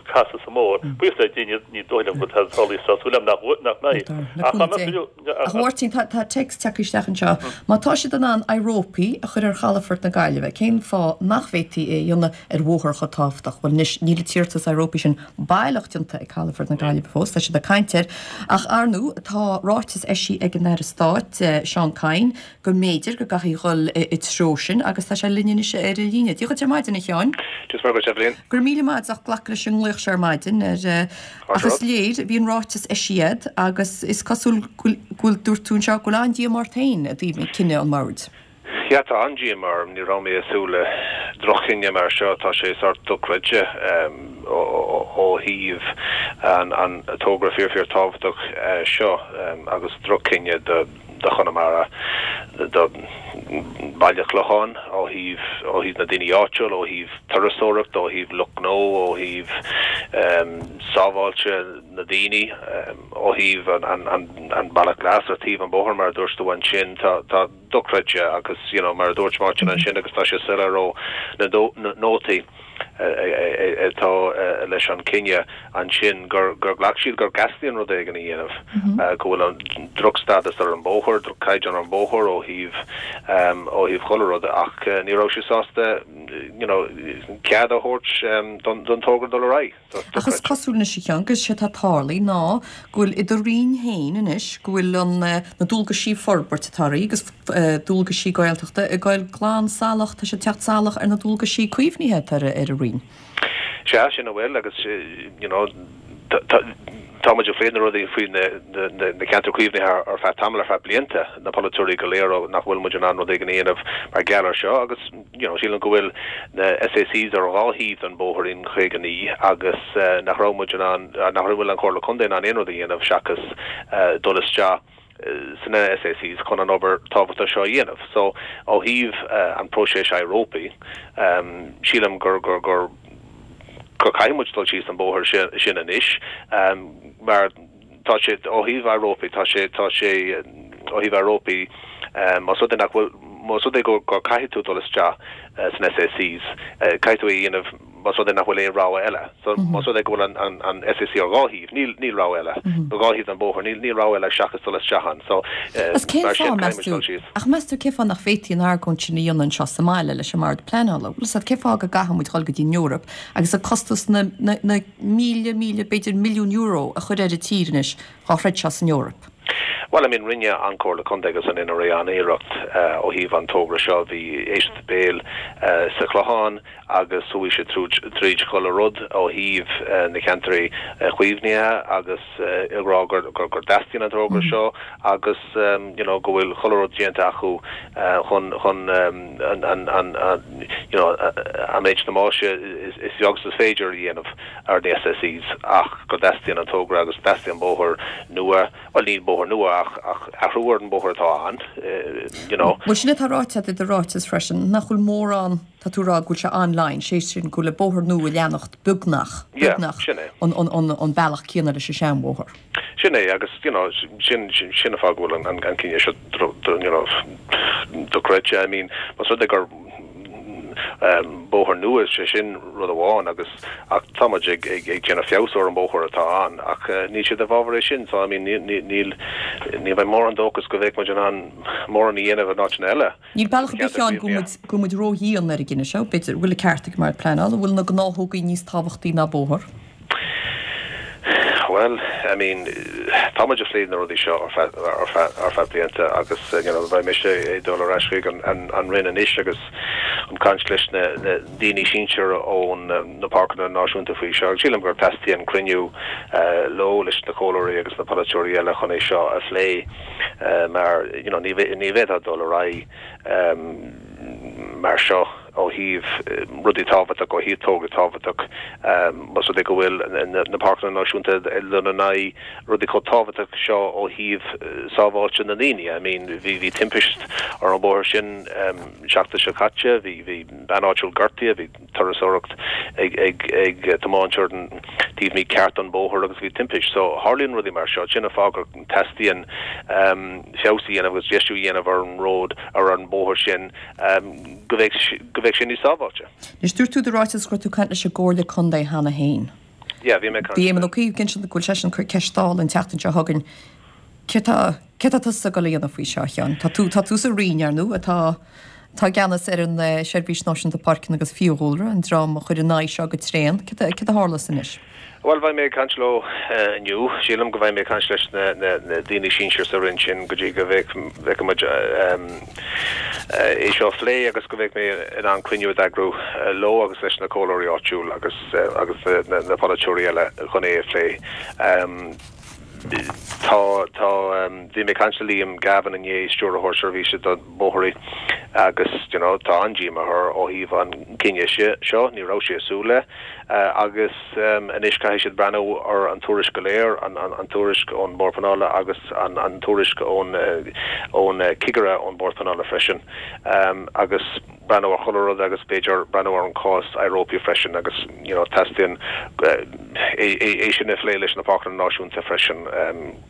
casadh sa mbóthar. Buíochas le Dia ní dóigh liom go bhfuil tada tarlaithe tá súil agam nach mbeidh. Ach dá mbeadh. A Mháirtín, tá téacs tagtha isteach anseo. Má tá siad in ann aghaidh-rópaí a chur ar chalafort na Gaillimhe, cén fáth nach bhféadfaí é a dhéanamh ar bhóthar chomh tábhachtach? Bhuel anois, níl an t-iarratas aghaidh-rópaí sin baileach déanta ag calafort na Gaillimhe fós, tá siad ag caint air. Ach ar ndóigh, tá ráiteas eisithe ag an Aire Stáit, Seán Kyne, go mb'fhéidir go gcaithfí dhul i treo sin agus tá sé linn anois ar an líne. Dia dhuit ar maidin, a Sheáin. Dia is Muire dhuit, Eibhlín. Go raibh míle maith agat as ucht glacadh leis an nglaoch seo ar maidin. Ach is léir, bhí an ráiteas eisithe agat agus is cosúil go bhfuil, dúirt tú anseo, go bhfuil an-díomá ort féin i dtaobh cinneadh an bhoird. Yeah, tá an-díomá orm. Ní raibh mé ag súil le droch-chinneadh mar seo. Tá sé sórt dochreidte ó thaobh an togra fíor fíor tábhachtach seo agus droch-chinneadh do do Chonamara, do Bhaile Chlocháin ó thaobh ó thaobh na daoine áitiúil, ó thaobh turasóireacht, ó thaobh lucht gnó, ó thaobh sábháilte na daoine, ó thaobh an an an Bealach Glas ar taobh an bóthair mar a dúirt tú ansin. Tá tá dochreidte agus you know mar a dúirt Máirtín ansin agus tá sé soiléir ó na nótaí. atá leis an cinneadh ansin gur ghlac siad go dteastaíonn rud éigin a dhéanamh, go bhfuil an drochstádas ar an bóthar, droch-chaighdeán ar an bóthar ó thaobh ó thaobh chuile rud ach ní raibh siad sásta you know cead a thabhairt don togra dul ar aghaidh. Ach is cosúil anois a Sheáin go sé atá tarlaithe ná go bhfuil i do Roinn féin anois go bhfuil an na dualgaisí forbairt atá oraibh agus dualgaisí Gaeltachta ag goil glan salach, tá siad ag teacht salach ar na dualgaisí caomhnaithe atá ar an Roinn. Sea, sin a bhfuil agus you know tá muid ag plé na rudaí faoi na ceantair caomhnaithe ar feadh tamaill, ar feadh blianta, na polaiteoirí go léir nach bhfuil muid in ann rud éigin a dhéanamh mar gheall ar seo agus you know sílim go bhfuil na SACs ar dhá thaobh den bhóthar N59 agus nach raibh muid in ann, nach bhfuil an Chomhairle Contae in ann aon rud a dhéanamh seachas dul isteach sna SACs chun an obair tábhachtach seo a dhéanamh. So, ó thaobh an próiseas aghaidh-rópaí, sílim gur gur gur gur caithfidh muid dul síos an bóthar sin anois mar tá sé ó thaobh aghaidh-rópaí, tá sé tá sé ó thaobh aghaidh-rópaí más rud é nach bhfuil. más rud é go caithfidh tú dul isteach san SACs, caithfidh tú é a dhéanamh más rud é nach bhfuil aon rogha eile. So más rud é go bhfuil an an SAC ar dhá thaobh, níl níl rogha eile. Ar dhá thaobh den bhóthar, níl níl rogha eile seachas dul isteach ann. So Agus cén mar sin fáth, meas caithfidh muid tú, dul síos. ach meas tú cén fáth nach bhféadfaí an argóint sin a dhéanamh anseo sa mbaile leis an mBord Pleanála? Bhfuil 'fhios a'd, cén fáth go gcaithfidh muid dhul go dtí an Eoraip agus an costas na na na míle míle b'fhéidir milliún euro a chur ar an tír anois dhá throid seo san Eoraip? Bhuel, I mean, rinne an Comhairle Contae agus an NRA an-iarracht ó thaobh an togra seo. Bhí éisteacht béil sa Chlochán agus chuaigh siad tríd chuile rud ó thaobh na ceantraí caomhnaithe agus ag rá gur dteastaíonn an togra seo agus you know go bhfuil chuile rud déanta acu chun chun an an you know an méid damáiste is beag is féidir a dhéanamh. ar na SACs ach go dteastaíonn an togra agus teastaíonn bóthar nua, bhuel ní bóthar nua ach ach athrú ar an bóthar atá ann, you know. Bhuel sin atá ráite agat i do ráiteas freisin, nach bhfuil mórán, tá tú ag rá go bhfuil sé on-line, sé sin go bhfuil an bóthar nua ag leanacht beagnach, beagnach an an an an bealach céanna leis an seanbhóthar. Sin é agus you know sin sin an fáth go bhfuil an an cinneadh seo you know dochreidte. I mean más rud é gur bóthar nua, sé sin rud amháin agus ach tá muid ag ag ag déanamh feabhas ar an bóthar atá ann ach níl siad i bhfabhar é sin so I mean níl níl níl mé mórán dóchas go bhféadfadh muid in ann mórán a dhéanamh in áiteanna eile. Níl bealach ar bith ann go bhfuil muid go bhfuil muid ródhian ar an gcinneadh seo, b'fhéidir, bhfuil an ceart ag an mBord Pleanála, an bhfuil na gnáthógaí níos tábhachtaí ná bóthar? Bhuel, I mean, tá muid ag plé na rudaí seo ar feadh, ar feadh, ar feadh blianta agus, you know, beidh mise ag dul ar ais chuig an, an, an Roinn anois agus chun caint leis na, na daoine sinsir ón na páirceanna náisiúnta faoi seo agus sílim gur teastaíonn cruinniú leo, leis na comhairleoirí agus na polaiteoirí eile chun é seo a phlé mar, you know, ní, ní bhféadfá dul ar aghaidh mar seo. ó thaobh rudaí tábhachtach, ó thaobh togra tábhachtach, más rud é go bhfuil na páirceanna náisiúnta ag dul in aghaidh rudaí chomh tábhachtach seo ó thaobh sábháilte na ndaoine. I mean, bhí, bhí timpist ar an bhóthar sin seachtain seo caite, bhí, bhí bean áitiúil gortaithe, bhí turasóireacht ag, ag, ag tiomáint ar an taobh mícheart den bhóthar agus bhí timpist. So, tharlaíonn rudaí mar seo, sin an fáth gur teastaíonn feabhas a dhéanamh agus deisiú a dhéanamh ar an ród, ar an bhóthar sin. go mbeidh go mbeidh sé níos sábháilte. Anois, dúirt tú i do ráiteas go raibh tú ag caint leis an gComhairle Contae cheana féin. Yeah, bhí mé ag caint. Bhí Éamon Ó Cuív ag insint go bhfuil seisean ag cur ceist Dála an tseachtain seo chugainn. Céard tá céard tá tusa ag dul a dhéanamh faoi seo, a Sheáin? Tá tú tá tú sa Roinn, ar ndóigh, atá atá i gceannas ar an Seirbhís Náisiúnta Páirceanna agus Fiadhúlra, an dream a chuir in aghaidh seo go tréan. Céard céard a tharlós anois? Bhuel, beidh mé ag caint leo inniu. Sílim go mbeidh mé ag caint leis na daoine sinsir sa Roinn sin go dtí go bhfeicfidh muid é seo a phlé agus go mbeidh mé in ann cruinniú a d'eagrú leo agus leis na comhairleoirí áitiúil agus agus na polaiteoirí eile chun é a phlé. Tá, tá, bhí mé ag caint le Liam Gavin inné, Stiúrthóir Seirbhíse do Bóithre agus, you know, tá an-díomá air ó thaobh an cinneadh seo, ní raibh sé ag súil le agus anois caithfidh siad breathnú ar an tuairisc go léir, an tuairisc ón Bord Pleanála agus an tuairisc ón ón cigire ón Bord Pleanála freisin agus breathnú ar chuile rud agus b'fhéidir breathnú ar an cás iROPA freisin agus you know teastaíonn é sin a phlé leis na Páirceanna Náisiúnta freisin.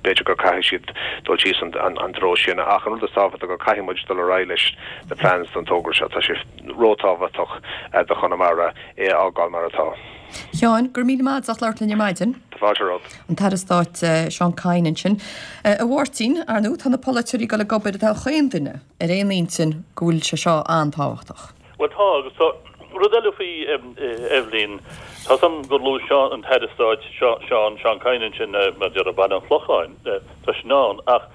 B'fhéidir gur caithfidh siad dul síos an treo sin ach an rud is tábhachtaí gur caithfidh muid dul ar aghaidh leis na plans don togra seo. Tá sé róthábhachtach do Chonamara. é a fhágáil mar atá. Sheáin, go raibh míle maith agat as labhairt linn ar maidin. Tá fáilte romhat. An tAire Stáit Seán Kyne ansin. A Mháirtín, ar ndóigh, tá na polaiteoirí ag dul ag obair, tá chaon duine ar aon intinn go bhfuil sé seo an-tábhachtach. Bhuel tá, agus tá rud eile faoi Eibhlín, tá 's a'm gur luaigh Seán, an tAire Stáit Seán, Seán Kyne ansin, mar a déarfá Baile an Chlocháin, tá sin ann, ach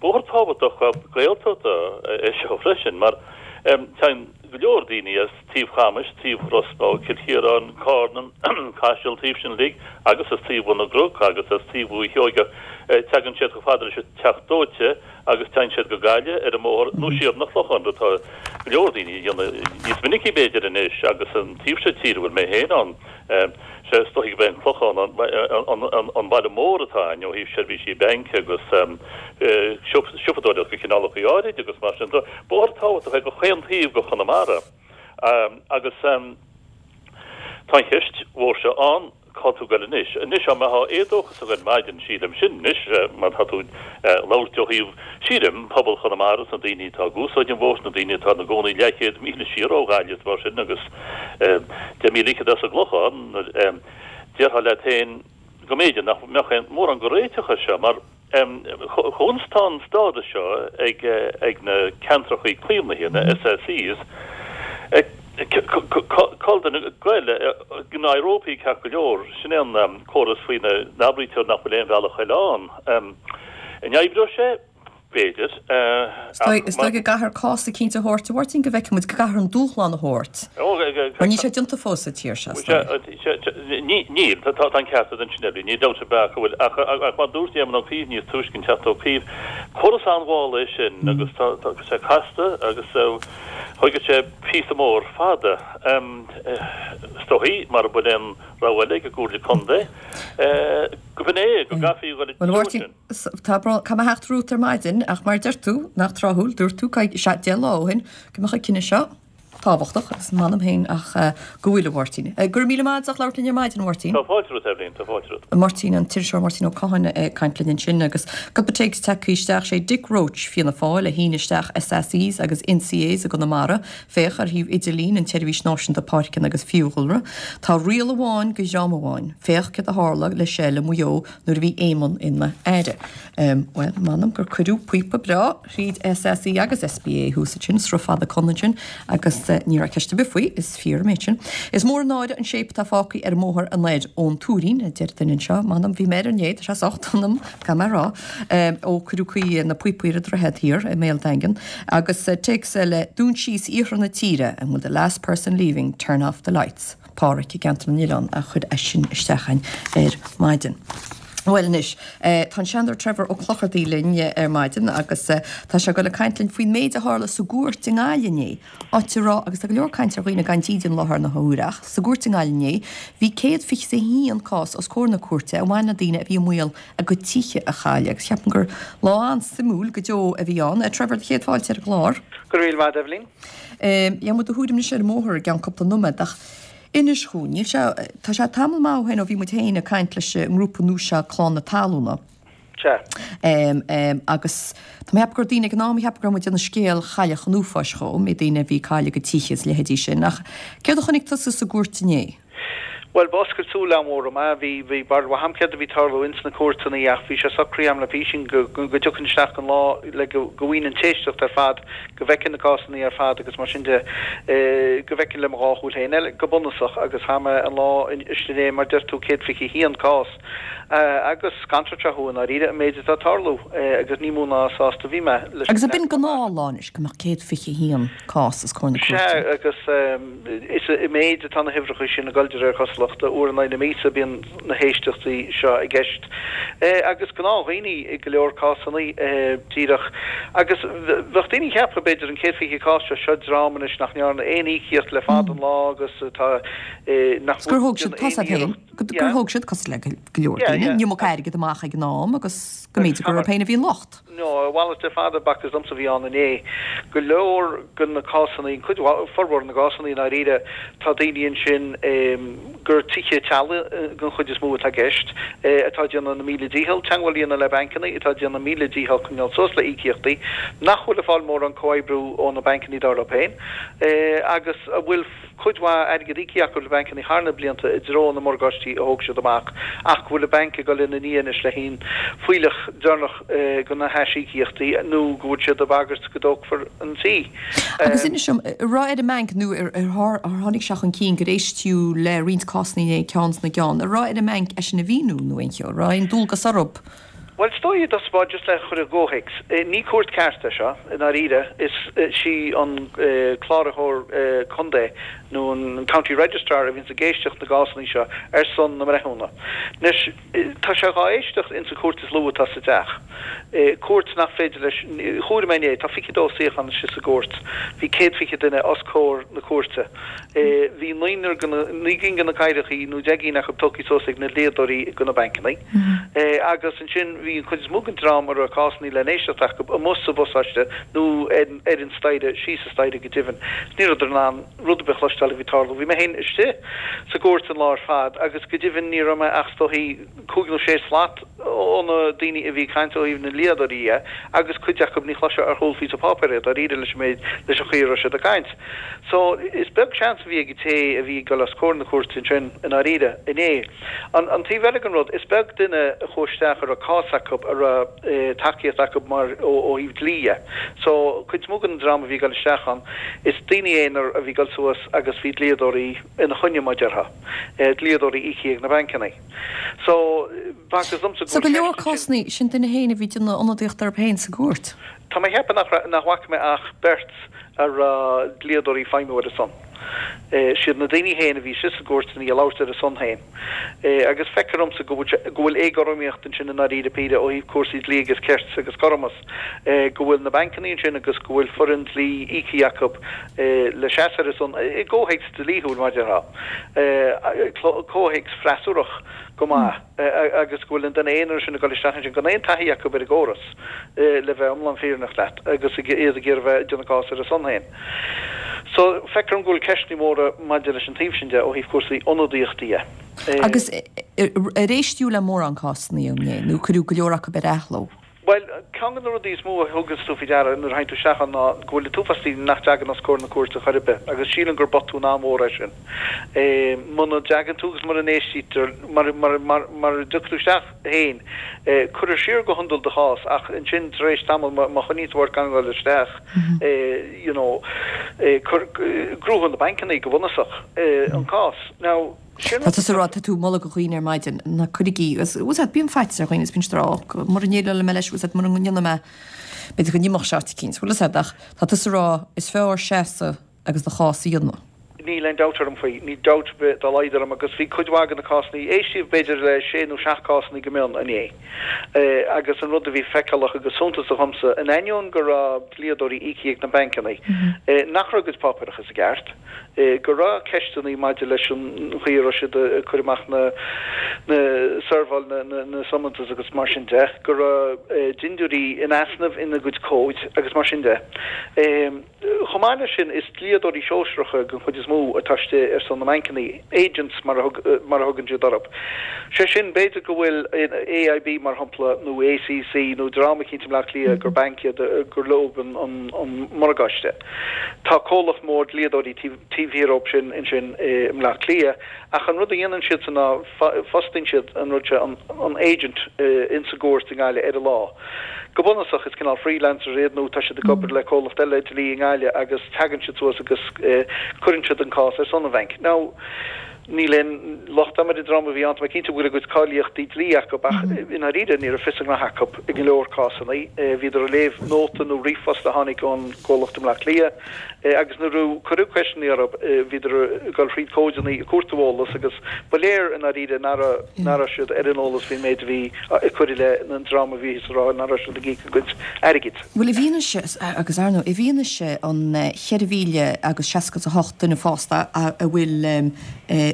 bóthar tábhachtach Gaeltachta é seo freisin, mar téann go leor daoine as taobh Chamais, taobh Ros Muc, Cill Chiaráin, Carna, Caiseal, taobh sin uilig, agus as taobh Bhun na gCnoc agus as taobh Dhúiche Sheoigeach, tagann siad chomh fada leis an Teach Dóite agus téann siad go Gaillimh ar an mbóthar nó siar 'na Clochán, rud atá go leor daoine a dhéanamh níos minicí b'fhéidir anois agus an taobh seo tíre a bhfuil mé féin ann, sea, is dóigh gurb é an Clochán an baile mór atá againn ó thaobh seirbhísí bainc agus siopadóireacht de chineálacha áirid agus mar sin de. Bóthar tábhachtach é do chaon taobh de Chonamara agus tá an cheist mhór seo ann. Cá tú ag goil anois? Anois, dá mbeadh éadóchas againn ar maidin, sílim, sin anois mar tá tú ag labhairt ó thaobh, sílim, pobal Chonamara is na daoine atá ag úsáid an bhóthair, na daoine atá ina gcónaí leathchéad míle siar ó Ghaillimh is mar sin agus 10 míle fhichead as an gClochán, déarfá leat féin go mb'fhéidir nach mbeadh aon mórán de réiteach air seo mar Conas tá an stádas seo ag na ceantracha caomhnaithe, na SACs, cá bhfuil duine ag goil go n-éireofaí ceart go leor, sin é an córas faoina n-abraítear nach bhfuil aon bhealach eile ann. An oibreoidh sé? B'fhéidir. Is dóigh go gcaithfear cás eicínt a thabhairt, a Mháirtín, go bhfeicfidh muid, go gcaithfear an dúshlán a thabhairt. Mar níl sé déanta fós sa tír seo, is dóigh. Níl, tá an ceart agat ansin, Eibhlín, níl dabht ar bith ach go bhfuil. Ach mar a dúirt Éamon Ó Cuív níos túisce, an Teachta Ó Cuív, córas an-mhall é sin agus tá sé casta agus thógfaidh sé píosa mór fada. Is dóichí, mara bhfuil aon rogha eile ag an gComhairle Contae, go b'in é, go gcaithfí a dhul i dtreo sin. Tá brón, caithfidh mé theacht romhat ar maidin ach mar a deir tú, nach tráthúil, dúirt tú 10 lá ó shin go mbeadh an cinneadh seo tábhachtach agus m'anam féin ach go bhfuil, a Mháirtín. Go raibh míle maith agat as labhairt linn ar maidin, a Mháirtín. Tá fáilte romhat, Eibhlín, tá fáilte romhat. Máirtín, an t-iriseoir Máirtín Ó Cadhain ag caint linn ansin agus cúpla téacs tagtha isteach, sé Dick Roche, Fianna Fáil, a shín isteach SACs agus NCAs i gConamara. Féach ar shuíomh idirlín an tSeirbhís Náisiúnta Páirceanna agus Fiadhúlra. Tá riail amháin do dhream amháin. Féach céard a tharla le Shell i Maigh Eo nuair a bhí Éamon ina aire. Bhuel, m'anam gur cuireadh píopa breá thríd SAC agus SPA thuas ansin, Sruth Fada Con ansin, agus ní raibh ceist ar bith faoi, is fíor an méid sin. Is mór an náire an shape atá fágtha ar an mbóthar anoir ón Tuairín, a deir duine anseo. M'anam, bhí mé air inné, tá sé socht ionam, caithfidh mé a rá, ó cuireadh na píopaí ar an droichead thiar i mBéal Daingean. Agus téacs eile, Dún síos iarthar na tíre, and will the last person leaving turn off the lights? Páraic i gCeantar na nOileán a chuir é sin isteach againn ar maidin. Bhuel anois, tá an Seanadóir Trevor Ó Clochartaigh linn ar maidin agus tá sé ag dul ag caint linn faoin méid a tharla sa gcúirt i nGaillimh inné, áit a raibh, agus tá go leor cainte ar dhaoine gan dídean i láthair na huaire, ach sa gcúirt i nGaillimh inné bhí 121 cás os comhair na cúirte a bhain le daoine a bhí i mbaol a gcuid tithe a chailleadh agus ceapaim gur lá an-suimiúil go deo a bhí ann. Trevor, céad fáilte ar an gclár. Go raibh míle maith agat, Eibhlín. Gheobhaidh muid do thuairim anois ar an mbóthar i gceann cúpla nóiméad ach inis dhúinn, níl sé, tá sé tamall maith ó shin ó bhí muid féin ag caint leis an ngrúpa nua seo Clann na Talúna. Sea. Agus tá mé ag ceapadh go raibh daoine ag an am a cheap go raibh muid ag déanamh scéal Chailleach an Uafáis dhó, méid daoine a bhí ag cailleadh a gcuid tithe is a leithéidí sin ach céard a chonaic tusa sa gcúirt inné? Bhuel, b'oscailt súl an-mhór dom é. Bhí, bhí barúil mhaith a'm céard a bhí ag tarlú ins na cúirteanna ach bhí sé socraithe a'm le písín go, go dtiocfainn isteach don lá le go, go bhfaighinn an t-éisteacht ar fad, go bhfeicfinn na cásanna ar fad agus mar sin de, go bhfeicfinn le mo dhá shúil féin é, go bunúsach agus tha mé an lá istigh inné, mar deir tú, 121 cás agus scanraíonn sé thú i ndáiríre an méid atá ag tarlú agus ní mó ná sásta a bhí mé leis an Agus ab in gnáthlá anois go mbeadh 121 cás os comhair na cúirte? Sea, agus. Is i méid atá na huimhreacha sin ag dul de réir cosúlachta. Uair in aghaidh na míosa bíonn na héisteachtaí seo i gceist. Agus gnáthdhaoine i go leor cásanna, díreach. Agus bheadh daoine ag ceapadh, b'fhéidir, an 120 cás seo, seo dream anois nach ndearna aon íocaíocht le fada an lá agus atá, nach bhfuil gur thóg siad, tá a fhios agat féin, gur thóg siad, cosúil le go leor daoine, an iomarca airgid amach ag an am agus go mb'fhéidir gurb orthu féin a bhí an locht. No, a mhalairt ar fad a b'fhacthas domsa a bhí ann inné. Go leor de na cásanna, an cuid mhaith, formhór na gcásanna i ndáiríre, tá daoine ansin gur tithe teaghlaigh den chuid is mó atá i gceist, atá ag déanamh na míle dícheall teagmháil a dhéanamh le bancanna, atá ag déanamh míle dícheall coinneáil suas le íocaíochtaí, nach bhfuil ag fáil mórán comhoibriú ó na bancanna dar leo féin, agus a bhfuil. cuid mhaith airgid íoctha acu le bancanna thar na blianta i dtreo na morgáistí a thóg siad amach ach go bhfuil an banc ag dul ina ndiaidh anois le haon fuílleach deireanach de na haisíocaíochtaí nó go bhfuil siad ag bagairt go dtógfar an tí. Agus inis dom, an raibh ar an mbanc nó ar tháinig sé chun cinn gur éist tú le roinnt cásanna inné ceann sna gceann, an raibh ar an mbanc é sin a mhíniú nó aon cheo, an raibh aon dualgas orthu? Bhuel, is dóigh i dtosach báire, just le chur i gcomhthéacs, ní cúirt ceart é seo, i ndáiríre. Is sí an cláraitheoir contae nó an County Registrar a bhíonns ag éisteacht na gcásanna seo ar son na mbreithiúna. Anois, tá sé dhá éisteacht ins an cúirt is lú atá sa teach, cúirt nach féidir leis, chomhair mé inné, tá 22 suíochán istigh sa gcúirt, bhí 120 duine os comhair na cúirte. Bhí naonúr de na, naoi gcinn de na cathaoireachaí nó 10 gcinn acu tógtha suas ag na dlíodóirí do na bancannaí. Agus ansin bhí an chuid is mó den dream a raibh cásannaí le n-éisteacht acu amuigh sa bpasáiste nó ar an staighre, síos an staighre go deimhin. Ní rabhadar in ann rud ar bith a chloisteáil. cloisteáil a bhí ag tarlú. Bhí mé féin istigh sa gcúirt an lá ar fad agus go deimhin ní raibh mé ach is dóichí cúig nó sé slat ó na daoine a bhí ag caint ó thaobh na ndlíodóirí dhe agus cuid acu ní chloisfeá ar chúl phíosa páipéir é dáiríre leis an méid, leis an chaoi a raibh siad ag caint. So, is beag seans a bhí ag an té a bhí ag dul os comhair na cúirte ansin i ndáiríre, inné. An an taobh eile den rud, is beag duine a chuaigh isteach a raibh cás acu, a raibh tacaíocht acu mar ó ó thaobh dlí dhe. So, cuid is mó den dream a bhí ag dul isteach ann, is daoine aonair a bhí ag dul suas agus bhí dlíodóirí ina choinne mar a déarfá, dlíodóirí íoctha ag na bancannaí. So, b'fhacthas domsa go So go leor cásanna, sin duine féin a bhí ag déanamh ionadaíocht orthu féin sa gcúirt. Tá mé ag ceapadh nach raibh, nach bhfaca mé ach beirt a raibh dlíodóirí ag feidhmiú ar a son. Siad na daoine féin a bhí istigh sa gcúirt inné ag labhairt ar a son féin. Agus feictear domsa go bhfuil sé, go bhfuil éagothromaíocht ansin i ndáiríre píre ó thaobh cúrsaí dlí agus cirt agus cothromas, go bhfuil na bancannaí ansin agus go bhfuil foireann dlí íoctha acu le seasamh ar a son, i gcomhthéacs dlíthiúil mar a déarfá, comhthéacs freasúrach go maith, agus go bhfuil an duine aonair sin ag dul isteach ansin gan aon taithí acu ar an gcóras, le bheith iomlán fírinneach leat, agus iad ag iarraidh a bheith ag déanamh cás ar a son féin. So, feictear dom go bhfuil ceisteanna móra maidir leis an taobh sin de ó thaobh cúrsaí ionadaíochta dhe. Agus ar éisteadh le mórán cásanna inné, nó cuireadh go leor acu ar athló? Bhuel, ceann de na rudaí is mó a thuganns tú faoi deara nuair a théann tú isteach ann ná go bhfuil an t-uafás daoine nach dtagann os comhair na cúirte chor ar bith agus sílim gur botún an-mhór é sin. Muna dtagann tú agus mura n-éistítear, mura dtiocfaidh tú isteach féin, cuirfear siar go hiondúil do chás ach ansin tar éis tamaill má choinníonn tú ort gan dul isteach, you know, gnóthaíonn na bancannaí go bunúsach an cás. Now. Tá tusa ag rá, tá tú ag moladh do dhaoine ar maidin, ná cuirigí, agus bhfuil a fhios agat, bíonn faitíos ar dhaoine is bíonn siad ag rá, ó, mura ndéileálfaidh mé leis, bhfuil a fhios agat, mura ndéanfaidh mé, b'fhéidir go n-imeodh sé áit eicínt, bhfuil a fhios agat, ach tá tusa ag rá, is fearr seasamh agus do chás a dhéanamh. Níl aon dabht orm faoi, níl dabht ar bith dá laghad orm agus bhí cuid mhaith de na cásanna, éistíodh b'fhéidir le sé nó seacht cásanna go mion inné agus an rud a bhí feiceálach agus suntasach dhomsa, in ainneoin go raibh dlíodóirí íoctha ag na bancanna, nach raibh a gcuid páipéarachas i gceart. go raibh ceisteanna maidir leis an chaoi a raibh siad ag cur amach na seirbheáil na summons agus mar sin de, go raibh dindiúirí in easnamh ina gcuid comhaid agus mar sin de. Chomh maith leis sin, is dlíodóirí sóisearacha den chuid is mó atá istigh ar son na mbancanna, agents mar a thugann siad orthu. Sé sin, b'fhéidir go bhfuil AIB mar shampla nó ACC nó dream eicínt i mBleá Cliath gur banc iad gur leo an morgáiste. Tá comhlacht mór dlíodóirí taobh thiar dhóibh sin ansin i mBleá Cliath ach an rud a dhéanann siadsan ná fostaíonn siad an rud seo, an agent ins an gcúirt i nGaillimh ar an lá. Go bunúsach is cineál freelancers iad nó tá siad ag obair le comhlacht eile dlí i nGaillimh agus tagann siad suas agus cuireann siad an cás ar son an bhainc. Now níl aon locht agam ar an dream a bhí ann, tá mé cinnte go bhfuil a gcuid cáilíochtaí dlí acu ach i ndáiríre ní raibh fios a ngraithe acu i go leor cásanna. Bhíodar ag léamh nóta nó ríomhphost a tháinig ón gcomhlacht i mBleá Cliath agus nuair a cuireadh ceisteanna orthu bhíodar ag dul thríd comhadanna ag cuartú eolas agus ba léir i ndáiríre nach raibh siad ar an eolas faoin méid a bhí ag cur i leith an dream a bhí thíos ag rá nach raibh siad ag íoc a gcuid airgid. Bhuel i bhfianaise, agus ar ndóigh, i bhfianaise an 4,000 agus 68 duine fásta a bhfuil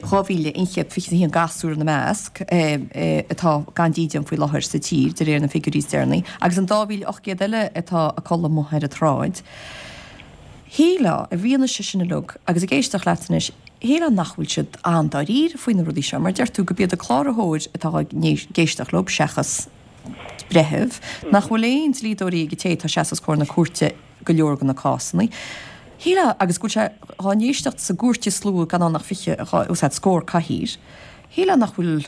2,121 gasúr ina measc, atá gan dídean faoi láthair sa tír, de réir na bhfigiúirí is deireanaí, agus an 2,800 eile atá ag codladh amuigh ar an tsráid. Shílfeá, i bhfianaise sin uilig, agus ag éisteacht leat anois, shílfeá nach bhfuil siad an-dáiríre faoi na rudaí seo, mar deir tú gurb iad an cláraitheoir atá ag éisteacht leo seachas breitheamh, nach bhfuil aon dlíodóirí ag an té atá ag seasamh os comhair na cúirte go leor de na cásanna. Shílfeá, agus go bhfuil sé dhá n-éisteacht sa gcúirt is lú gan ann ach 20, os cionn scór cathaoir, shílfeá nach bhfuil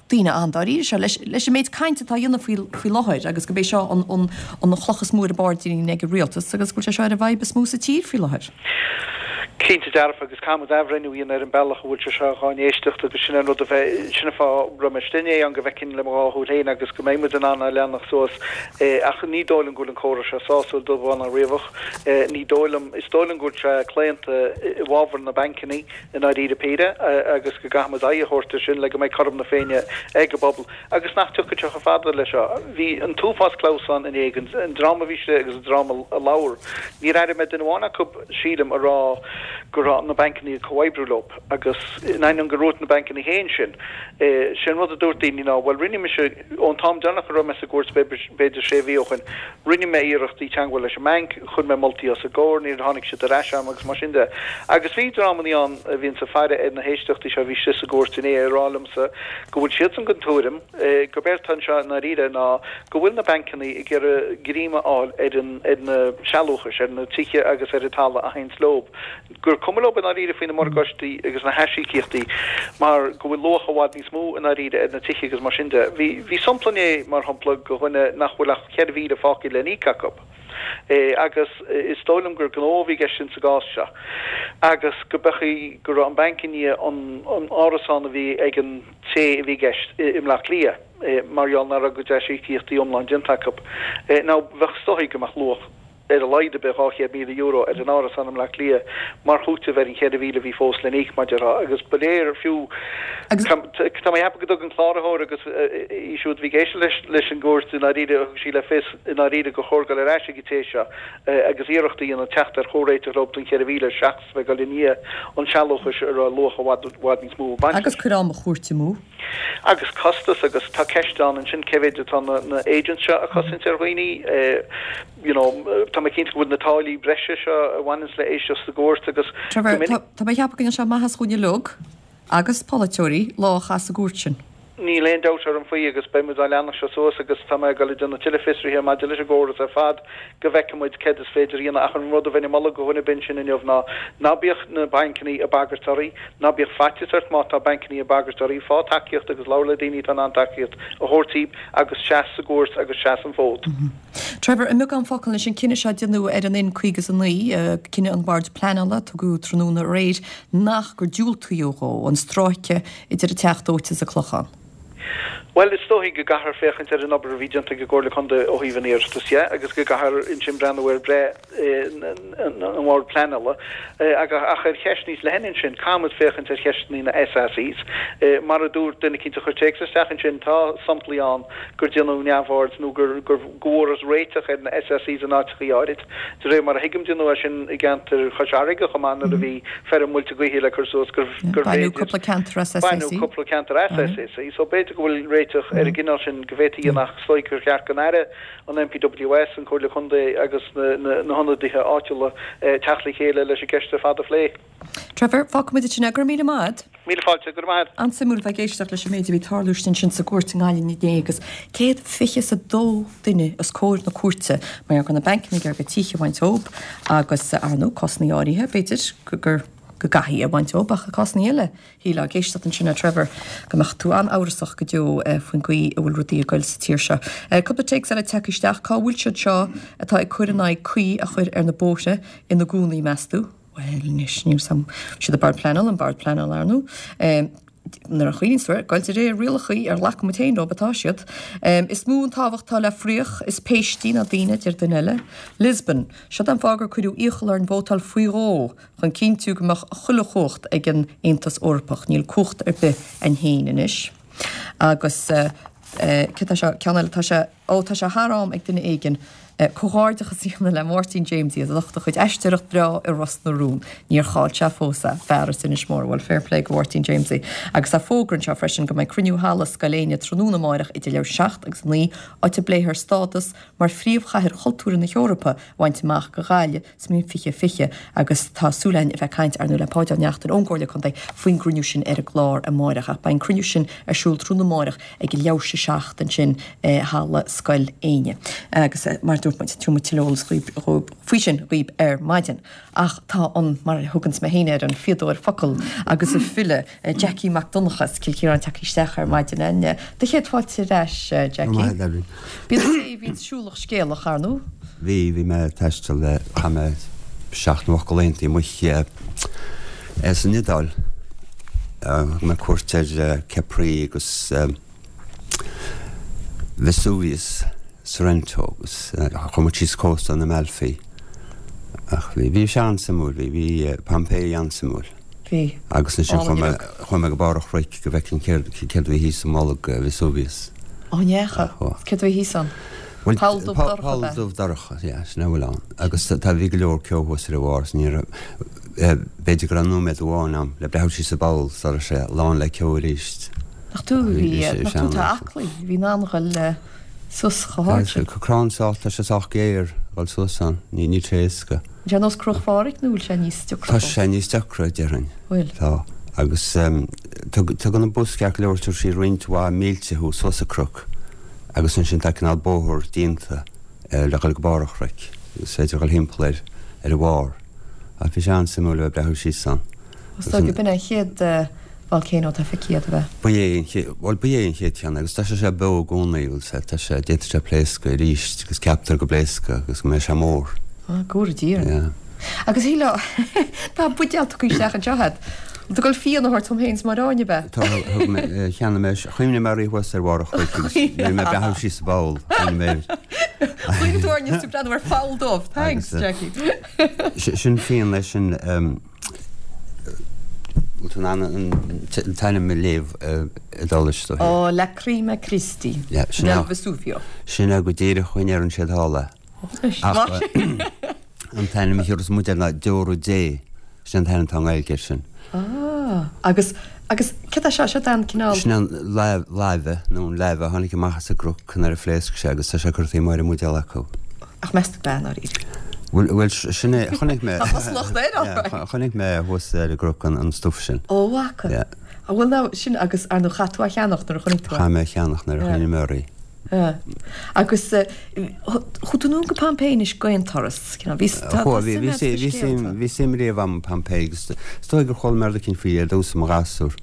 daoine an-dáiríre seo leis leis an méid cainte atá á dhéanamh faoi faoi láthair agus gurb é seo an an an chloch is mó ar a bpáirdín ag an rialtas agus go bhfuil sé seo ar an bhfadhb is mó sa tír faoi láthair. Cinnte dearfa agus caithfidh muid athbhreithniú a dhéanamh ar an bealach a bhfuil sé seo dhá n-éisteacht agus sin an rud a bheidh, sin an fáth a raibh mé istigh inné ann go bhfeicfinn le mo dhá shúil féin agus go mbeidh muid in ann a leanacht suas ach ní dóigh liom go bhfuil an córas seo sásúil dubh bán ná riabhach. Ní dóigh liom, is dóigh liom go bhfuil sé claonta i bhfabhar na bancannaí i ndáiríre píre agus go gcaithfidh muid aghaidh a thabhairt ar sin le go mbeidh cothrom na Féinne ag an bpobal agus nach dtiocfaidh sé chomh fada leis seo. Bhí an t-uafás clamhsán inné, an dream a bhí istigh agus an dream a labhair. Níor airigh mé duine amháin acu, sílim, a rá. go raibh na bancanna ag comhoibriú leo agus in ainneoin gur dhúirt na bancanna féin sin, sé an rud a dúirt daoine ná, bhuel rinne mise, ón t-am deireanach a raibh mé sa gcúirt, b'fhéidir sé mhí ó shin, rinne mé iarrachtaí teangmháil leis an mbanc, chuir mé moltaí os a gcomhair, níor tháinig siad ar ais agam agus mar sin de. Agus bhí dreamanna ann a bhíonns ag faire ar na héisteachtaí seo a bhí istigh sa gcúirt inné ag rá liomsa go bhfuil siadsan den tuairim gurb éard atá anseo i ndáiríre ná go bhfuil na bancanna ag iarraidh greim a fháil ar an ar na sealúchais, ar na tithe agus ar an talamh a théanns leob, gur cuma leob i ndáiríre faoi na morgáistí agus na haisíocaíochtaí mar go bhfuil luach i bhfad níos mó i ndáiríre ar na tithe agus mar sin de. Bhí bhí sampla inné, mar shampla, de dhuine nach bhfuil ach 4,000 fágtha le n-íoc acu. Agus is dóigh liom gur gnó a bhí i gceist in sa gcás seo agus go b'fhéidir go raibh an banc i ndiaidh an an árasán a bhí ag an té a bhí i gceist i mBleá Cliath, mar gheall nach raibh a gcuid aisíocaíochtaí iomlán déanta acu. Now, bheadh, is dóigh go mbeadh luach ar a laghad ar bith €200,000 ar an árasán i mBleá Cliath mar chúiteamh ar an 4,000 a bhí fós le n-íoc, mar déarfá, agus ba léir fiú, tá mé ag ceapadh go dtug an cláraitheoir agus í siúd a bhí ag éisteacht leis an gcúirt i ndáiríre, thug sí le fios i ndáiríre gur chóir dul ar ais ag an té seo agus iarracht a dhéanamh teacht ar chomhréiteach leo don 4,000 seachas bheith ag dul i ndiaidh an tsealúchais a raibh luach i bhfad, bhfad níos mó ag baint leis. Agus cur ama chúirte amú. Agus costas, agus tá ceist ann ansin cé mhéid atá na na agents seo a chosaint ar dhaoine, you know, tá mé cinnte go bhfuil na táillí breise seo a bhaineanns le éisteacht sa gcúirt agus go Trevor, tá tá mé ag ceapadh go ndéanfaidh sé maitheas dhúinn uilig, agus polaiteoirí, lá a chaitheamh sa gcúirt sin. Níl aon dabht orm faoi agus beidh muid á leanacht seo suas agus tá mé ag dul ag déanamh tuilleadh fiosraithe maidir leis an gcóras ar fad go bhfeicfidh muid céard is féidir a dhéanamh ach an rud a bheinn ag moladh do dhuine ar bith ansin inniu ná ná bíodh na bancannaí ag bagairt oraibh, ná bíodh faitíos ort má tá bancannaí ag bagairt oraibh, fágh tacaíocht agus labhair le daoine atá in ann tacaíocht a thabhairt daoibh agus seas sa gcúirt agus seas an fód. Trevor, I mbeagán focal anois, an cinneadh seo a déanadh ar an N59, cinneadh an Bhoird Pleanála a tugadh tráthnóna aréir nach gur diúltaíodh dhó an stráice idir an Teach Dóite is an Clochán. Bhuel, is dóichí go gcaithfear féachaint ar an obair a bhí déanta ag an gComhairle Contae ó thaobh an iarratais dhe agus go gcaithfear ansin breathnú ar bhreith an Bhoird Pleanála. Ach ar cheist níos leithne ansin, caithfimid féachaint ar cheisteanna na SACs. Mar a dúirt duine eicínt a chuir téacs isteach ansin, tá samplaí ann gur déanadh neamhaird nó gur go bhfuarthas réiteach ar na SACs in áiteachaí áirid. De réir mar a thuigim déanadh é sin i gceantar Chois Fharraige chomh maith nuair a bhí feirm muilte gaoithe le cur suas gurbh féidir Baineadh cúpla ceantar as SAC. Baineadh cúpla ceantar as SAC. So b'fhéidir go bhfuil réiteach ar an gcineál sin go bhféadfaí a dhéanamh ach is dóigh gur cheart don Aire, an NPWS, an Comhairle Contae agus na hionadaithe áitiúla teacht le chéile leis an gceist ar fad a phlé. Trevor, fágfaimid ansin é. Go raibh míle maith agat. Míle fáilte, go raibh maith agat. An-suimiúil bheith ag éisteacht leis an méid a bhí ag tarlú ansin sa gcúirt i nGaillimh inné agus 122 duine os comhair na cúirte mar gheall go raibh na bancanna ag iarraidh tithe a bhaint dóibh agus ar ndóigh cásanna áirithe b'fhéidir gur go gcaithfí a bhaint dóibh ach i cásanna eile shílfeá ag éisteacht ansin le Trevor go mbeadh tú an-amhrasach go deo faoin gcaoi a bhfuil rudaí ag goil sa tír seo. Cúpla téacs eile tagtha isteach, cá bhfuil siad seo atá ag cur in aghaidh caoi a chur ar na bóithre ina gcónaí meas tú? Bhuel, anois, níl 's a'm. Siad an Bord Pleanála, an Bord Pleanála, ar ndóigh. Nuair a chuimhníonn tú air, goil de réir rialachaí ar ghlac muid féin leo atá siad. Is mó an tábhacht atá le fraoch is péistí ná daoine, a deir duine eile. Lisbon. Siod an fáth gur cuireadh iachall orainn vótáil faoi dhó, chun cinntiú go mbeadh chuile chumhacht ag an Aontas Eorpach. Níl cumhacht ar bith a'inn féin anois. Agus céard tá seo, ceann eile, tá sé, Ó, tá sé thar am ag duine éigin comhghairdeachas a dhéanamh le Máirtín Jamesie as ucht a chuid aisteoireacht breá i Ros na Rún. Níor chaill sé fós é, fear as Inis Mór. Bhuel, fair play go Mháirtín Jamesie. Agus tá fógra anseo freisin go mbeidh cruinniú halla Scoil Éinne tráthnóna amáireach idir leathuair tar éis 7 agus 9, áit a bpléifear stádas mar phríomhchathair chultúrtha na hEorpa a bhaint amach go Gaillimh sa mbliain 2020 agus tá súil againn a bheith ag caint ar ndóigh le Páid Ó Neachtain ón gComhairle Contae faoin gcruinniú sin ar an gclár amáireach. Ach beidh an cruinniú sin ar siúl tráthnóna amáireach ag a leathuair tar éis a 7 ansin i Halla Scoil Éinne. Agus mar a dúirt muid, tabharfaidh muid tuilleadh eolas faoi sin dhaoib ar maidin. Ach tá an, mar a thuganns mé féin air, an fíodóir focal agus an file, Jackie Mac Donncha as Cill Chiaráin tagtha isteach ar maidin. Do chéad fáilte ar ais, Jackie. Go maith, Evelyn. Bíonn an té a bhíonns siúlach scéalach, ar ndóigh. Bhí, bhí mé ag taisteal le, chaith mé seacht nó ocht de laethanta amuigh san Iodáil. Thug mé cuairt ar Capri agus Vesuvius, Sorrento agus chuaigh muid síos cósta an Amalfi. Ach bhí, bhí sé an-suimiúil, bhí, bhí Pompeii an-suimiúil. Bhí. Agus ansin chuaigh mé, chuaigh mé go barr an chnoic go bhfeicfinn céard, céard a bhí thíos i mbolg Vesuvius. Ó, an ndeacha? Céard a bhí thíos ann? Bhuel, Poll dubh dorcha poll ab ea? dubh dorcha, yeah, sin a bhfuil ann. Agus tá, bhí go leor ceo thuas ar a bharr, is ní raibh. B'fhéidir go raibh nóiméad amháin a'm le breathnú síos an bpoll sula raibh sé lán le ceo arís. Nach tú a bhí, nach tú atá aclaí, a bhí in ann dhul suas chomh hard sin. Tá crann sách, tá sé sách géar a dhul suas ann, níl sé éasca. An sé nós Cnoc Phádraig nó bhfuil sé níos deacra Tá sé níos deacra, déarfainn. Bhfuil? Tá. Agus tugann an bus ceart go leor, tabharfaidh sí roinnt mhaith mílte thú suas an cnoc agus ansin tá cineál bóthar déanta le dhul go barr an chnoic. Is féidir dhul thimpeall air ar a bharr. Ach bhí sé an-suimiúil a bheith ag breathnú síos ann. Is dóigh gurb in é an chéad volcano atá feicthe agat, ab ea? Ba é an chéad, bhuel, ba é an chéad cheann agus tá sé sé beo i gcónaí, bhfuil 's a'd, tá sé, d'fhéadfadh sé pléascadh arís agus ceaptar go bpléascfaidh agus go mbeidh sé mór. Ah, go bhfóire Dia orainn. Yeah. Agus shílfeá, tá buidéal tugtha isteach anseo agat. Tú ag dul fíon a thabhairt dom féin is Máire Áine, ab ea? Tá, thug mé, cheannaigh mé, chuimhnigh mé oraibh thuas ar bharr an chnoic agus bhí mé ag breathnú síos sa bpoll, chuimhnigh mé air. Chuimhnigh tú orainn is tú ag breathnú ar pholl dubh, thanks Jackie. Sin fíon é sin, bhfuil tú in ann an t-ainm a léamh Iodáilis dó? Ó, Lacryma Christi, del Vesuvio. Sin é go díreach a ndeireann siad thall é. Ach an t-ainm a thiúrfas muid air ná Deora Dé. Sin an t-ainm atá i nGaeilge air sin. Ah, agus, agus céard é seo? Seo an cineál. Sin an laibhe, nó an lava a tháinig amach as an gcnoc nuair a phléasc sé agus tá sé curtha taobh amuigh ar an mbuidéal acu. Ach meas tú ab ea, ndáiríre? Bhuel, bhuel, sin é, chonaic mé. Tá cosúlacht air, all right. Chonaic mé thuas ar an gcnoc an stuif sin. Ó, bhfaca. Yeah. Ah, bhuel, now, sin agus, ar ndóigh, chaith tú é a cheannach nuair a chonaic tú é. Chaith mé a cheannach nuair a chuimhnigh mé oraibh. Yeah. Agus chuaigh tú anonn go Pompeii anois d'aon turas, cineál, bhí, tá, tá suim agat sna scéalta. Bhí suim riamh a'm i Pompeii agus is dóigh gur chuala mé rud eicínt faoi ar dtús i mo ghasúr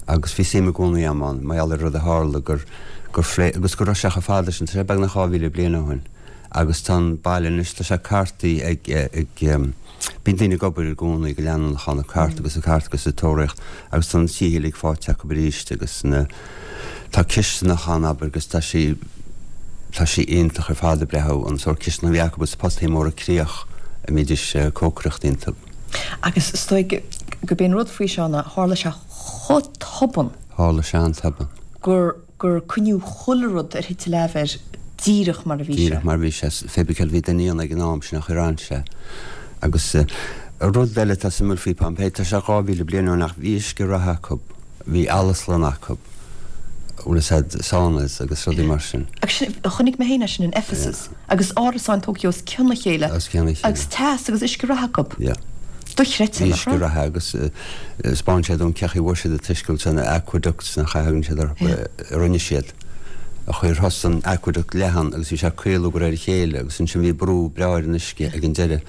agus bhí suim i gcónaí a'm ann, mar gheall ar rud a tharla gur, gur phlé, agus go raibh sé chomh fada sin, tá sé beagnach 2,000 bliain ó shin agus tá an baile anois, tá sé cartaithe ag, ag, bíonn daoine ag obair i gcónaí go leanúnach ann, ag cartadh agus ag cartadh agus ag tóraíocht agus tá na tithe uilig faighte acu arís agus na, tá cisteanach ann abair agus tá sí, tá sí iontach ar fad ag breathnú, an sórt cisteanach a bhí acu agus potaí móra críoch a mbídís ag cócaireacht iontu. Agus is dóigh gurb é an rud faoi seo ná tharla sé chomh tobann. Tharla sé an-tobann. gur gur coinníodh chuile rud ar thit an leamh air díreach mar a bhí sé. Díreach mar a bhí sé. Pé bith céard a bhí daoine ann ag an am, sin an chaoi ar fhan sé. Agus rud eile atá suimiúil faoi Pompeii, tá sé 2,000 bliain ó shin ach bhí uisce reatha acu, bhí alastlann acu, bhfuil fhios a'd, saunas agus rudaí mar sin. Agus sin, chonaic mé féin é sin in Ephesus. Agus árasáin tógtha os cionn a chéile. Os cionn a chéile. Agus teas agus uisce reatha acu. Yeah. Dochreidte, nach raibh? Uisce reatha agus 'spáin sé dom cén chaoi a bhfuair siad an t-uisce ansan, na aqueducts nach ea a thugann siad orthu, a rinne siad. An chaoi ar thosaigh an aqueduct leathan agus bhí sé ag caolú de réir a chéile agus ansin bhí brú breá ar an uisce ag an deireadh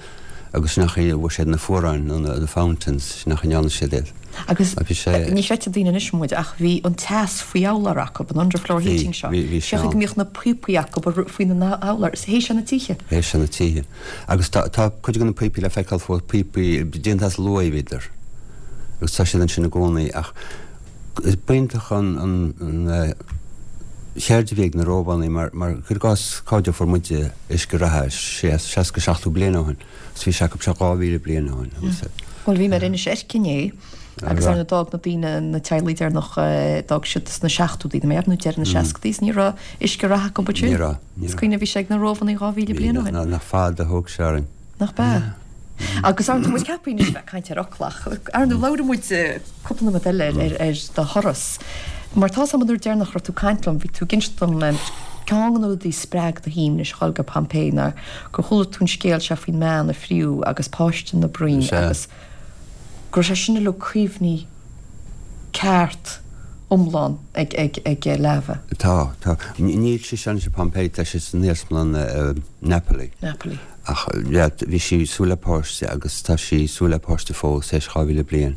agus sin an chaoi a bhfuair siad na fuaráin nó na fountains, sin an chaoi a ndearna siad iad. Agus ní chreidfidh daoine anois muid ach bhí an teas faoi urlár acu, an underfloor heating seo. Bhí, bhí sé ann. Cén chaoi go mbíodh na píopaí acu faoina n-urlár, is théadh sé na tithe. Théadh sé na tithe. Agus tá, tá cuid de na píopaí le feiceáil fós, píopaí déanta as luaith a bhíodar agus tá siad ansin i gcónaí ach is b'iontach an, an, an cheird a bhí ag na Rómhánaigh mar, mar cuir i gcás cá fhad a fuair muide uisce reatha, sé, 60, 70 bliain ó shin agus bhí sé acu seo 2,000 bliain ó shin agus. Bhuel bhí mé ar Inis Eirc inné agus ar ndóigh d'fhág na daoine, na teaghlaigh deireanach, d'fhág siad sna seachtóidí, nó deireadh na seascadaí is ní raibh uisce reatha acu ansin. Ní raibh. Is cuimhin bhí sé ag na Rómhánaigh 2,000 bliain ó shin. Nach fada a thóg sé orainn. Nach b'ea? Agus ar ndóigh tá muid ceaptha anois bheith ag caint ar fhocla ach ar ndóigh labhróidh muid cúpla nóiméad eile ar ar do thuras. Mar tá's agam an uair deireanach a raibh tú ag caint liom bhí tú ag inse dom ceann de na rudaí a spreag do shuim anois a dhul go Pompeii ná gur chuala tú an scéal seo faoin mbean a friú agus páiste ina broinn agus go raibh sé sin uilig cuimhní ceart iomlán ag ag ag Lava. Tá, tá. Níl sí anois i Pompeii, tá sí san iarsmalann i Napoli. Napoli. Ach yeah, bhí sí ag súil le páiste agus tá sí ag súil le páiste fós, théis 2,000 bliain.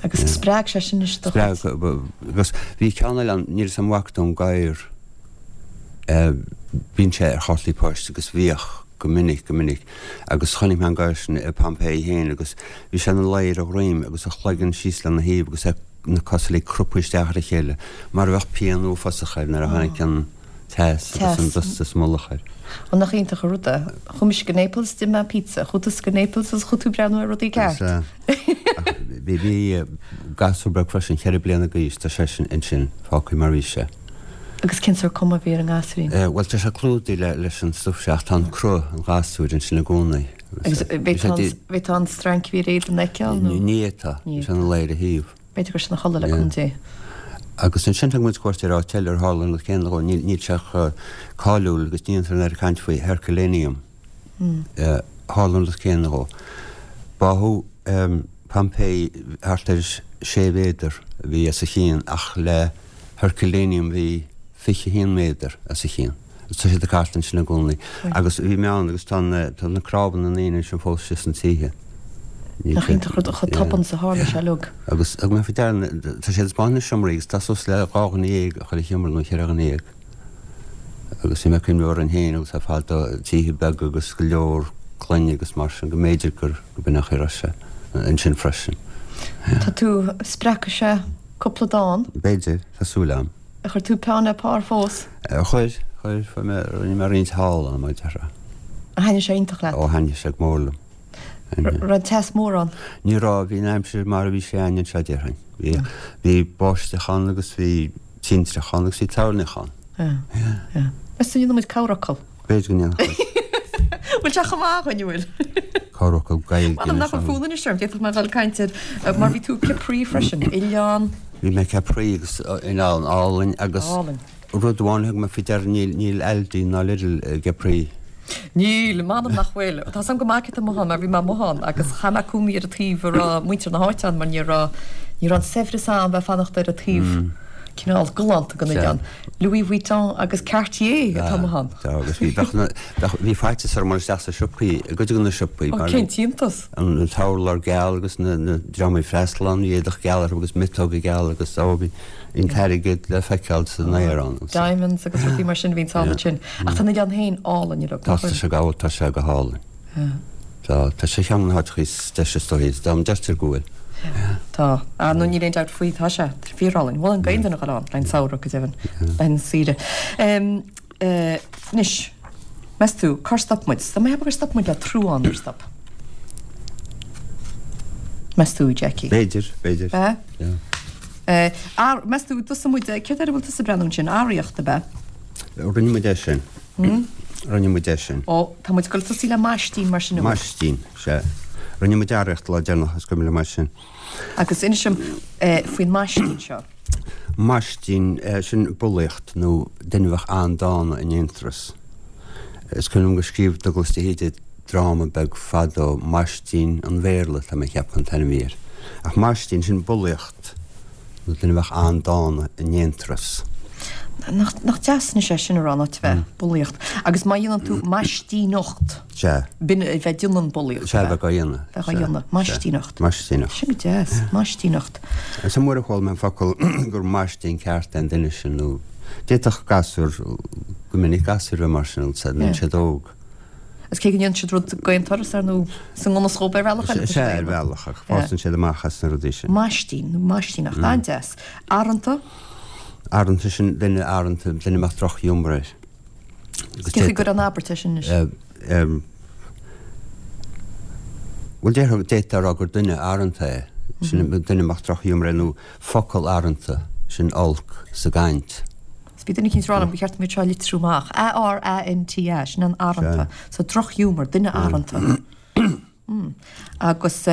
Agus spreag sé sin anois do chuid. Spreag, agus bhí ceann eile ann, níl 'fhios a'm an bhfaca tú an gadhar, bíonn sé ar chártaí poist agus bhíodh. go minic, go minic, agus chonaic mé an gadhar sin i Pompeii féin agus bhí sé ina luí ar a dhroim agus a chloigeann síos lena thaobh agus na cosa uilig cruptha isteach ar a chéile mar a bheadh pian uafásach air nuair a tháinig an teas agus an dusta sa mullach air. Ó nach iontach an rud é. Chuaigh mise go Naples, d'ith mé pizza. Chuaigh tusa go Naples agus chuaigh tú ag breathnú ar rudaí ceart. Is ea. Ach bhí gasúr beag freisin, cheithre bliana d'aois, tá seisean ansin, fágtha mar bhí sé. Agus cén sórt cuma a bhí ar an ngasúirín? Bhuel, tá sé clúdaithe leis an stuif seo ach tá an cruth an ghasúir ansin i gcónaí. Agus bhféadfá an strainc a bhí ar a éadan a fheiceáil nó? Ní fhéadfá, bhí sé ina luí ar a thaobh. B'fhéidir go raibh sé ina chodladh le cúnamh Dé. Agus ansin thug muid cuairt ar áit eile ar tharla an rud céanna dhó, níl sé chomh cáiliúil agus ní dhéantar an oiread caint faoi, Herculaneum. Tharla an rud céanna dhó. Báthadh Pompeii thart ar sé mhéadar a bhí os a chionn ach le Herculaneum bhí 21 méadar os a chionn. Tá siad ag cartadh ansin i gcónaí. Agus bhí mé ann agus tá na tá na cnámha na ndaoine ansin fós istigh sna tithe. Nach iontach rud chomh tobann is a tharla sé uilig. Agus thug mé faoi deara tá siad ag taispeáint na seomraí agus tá suas le 12 dhuine i chuile sheomra nó cheithre dhuine dhéag. Agus bhí mé ag cuimhneamh orainn féin agus ar fad tithe beaga agus go leor clainne agus mar sin go mb'fhéidir gur go b'in an chaoi a raibh sé ansin freisin. Tá tú, spreagfaidh sé cúpla dán. B'fhéidir, tá súil agam. Ar chuir tú peann le pár fós? Chuir, chuir, fuair mé, rinne mé roinnt thall ann, mar a déarfá. Ar thaitnigh sé iontach leat? Ó, thaitnigh sé go mór liom. Raibh teas mór ann? Ní raibh, bhí an aimsir mar a bhí sé againn anseo, déarfainn. Bhí, bhí báisteach ann agus bhí tintreach ann agus bhí toirneach ann. Yeah, yeah. Meas tú an ndéanfaidh muid corrfhocal? B'fhéidir go ndéanfadh muid. Bhfuil sé chomh maith againn, an bhfuil? Corrfhocal Gaeilge. M'anam nach bhfuil fonn anois orm, d'fhéadfadh mé a dhul ag caint ar, mar bhí tú i Capri freisin, oileán. Bhí mé i Capri agus oileán álainn agus Álainn. rud amháin a thug mé faoi deara, níl, níl Aldi ná Lidl i gCapri. Níl, m'anam nach bhfuil. Tá 's agam go maith céard atá amuigh ann mar bhí mé amuigh ann agus chaith mé cónaí ar an taobh a raibh muintir na háite ann mar ní raibh, ní raibh an saibhreas ann bheith ag fanacht ar an taobh cineál galánta den oileán. Louis Vuitton agus Cartier atá amuigh ann. Tá agus bhí, bheadh na, bheadh, bhí faitíos orm dul isteach sa siopaí, i gcuid de na siopaí Ó, cén t-iontas! An t-urlár geal agus na, na dream ag freastal ann, bhí éadach geal orthu agus miotóga geala agus ó bhí an t-airgead le feiceáil san aer ann. Diamonds agus rudaí mar sin a bhíonn thall ansin. Ach tá an oileán féin álainn uilig, nach bhfuil? Tá sé go, tá sé go hálainn. Tá, tá sé cheann de na háiteacha is deise is dóichí, dá ndeirtear go bhfuil. Tá. Ah, no níl aon dabht faoi, tá sé. Tá sé fíorálainn. Mholfainn d'aon duine a dhul ann, le haghaidh an samhradh, go deimhin, le haghaidh na saoire. Anois, meas tú, cár stop muid? Tá mé ag ceapadh gur stop muid le truán ar stop. Meas tú, Jackie? B'fhéidir, b'fhéidir. B'ea? Yeah. Meas tú, d'fhios muid, céard air a bhfuil tusa ag breathnú ansin? Arraíocht, ab ea? Rinne muid é sin. Rinne muid é sin. Ó, tá muid ag dul tosaí le maistín mar sin an bhfuil? Maistín, sea. Rinne muid arraíocht lá deireanach, is cuimhin liom é sin. Agus inis dom faoin maistín seo. Maistín, sin bulaíocht nó duine a bheadh an-dána in aonturas. Is cuimhin liom gur scríobh Dubhghlas de hÍde dráma beag fadó, Maistín an Bhéarla, tá mé ag ceapadh an t-ainm a bhí air. Ach maistín, sin bulaíocht. Nó duine a bheadh an-dána in aonturas. Nach deas anois é sin a rá, in áit a bheith bulaíocht. Agus má dhéanann tú maistíneacht. Sea. B'in a bheith ag déanamh an bulaíocht. Sea, a bheith á dhéanamh. Bheith á dhéanamh. Maistíneacht. Maistíneacht. Sin go deas. Maistíneacht. Is an uair a chuala mé an focal gur maistín ceart é an duine sin nó d'fhéadfadh gasúr, go minic gasúir a bheith mar sin, nuair atá siad óg. Agus cé go ndéanann siad rud d'aon turas, ar ndóigh, is i ngan fhios dhóibh ar bhealach eile. Sea, ar bhealach, ach fásann siad amach as na rudaí sin. Maistín, nó maistíneacht, an-deas. Aranta? Aranta, sin duine aranta, duine a mbeadh drochghiúmar air. Cén chaoi gur an abairt é sin anois? Bhuel, déarfá, d'fhéadfá a rá gur duine aranta é. Sin duine a mbeadh drochghiúmar air, nó focal aranta, sin olc sa gcaint. Is bhí duine eicínt ag rá liom gur cheart dom iad seo a litriú amach. A-R-A-N-T-A, sin an aranta. So drochghiúmar, duine aranta. Agus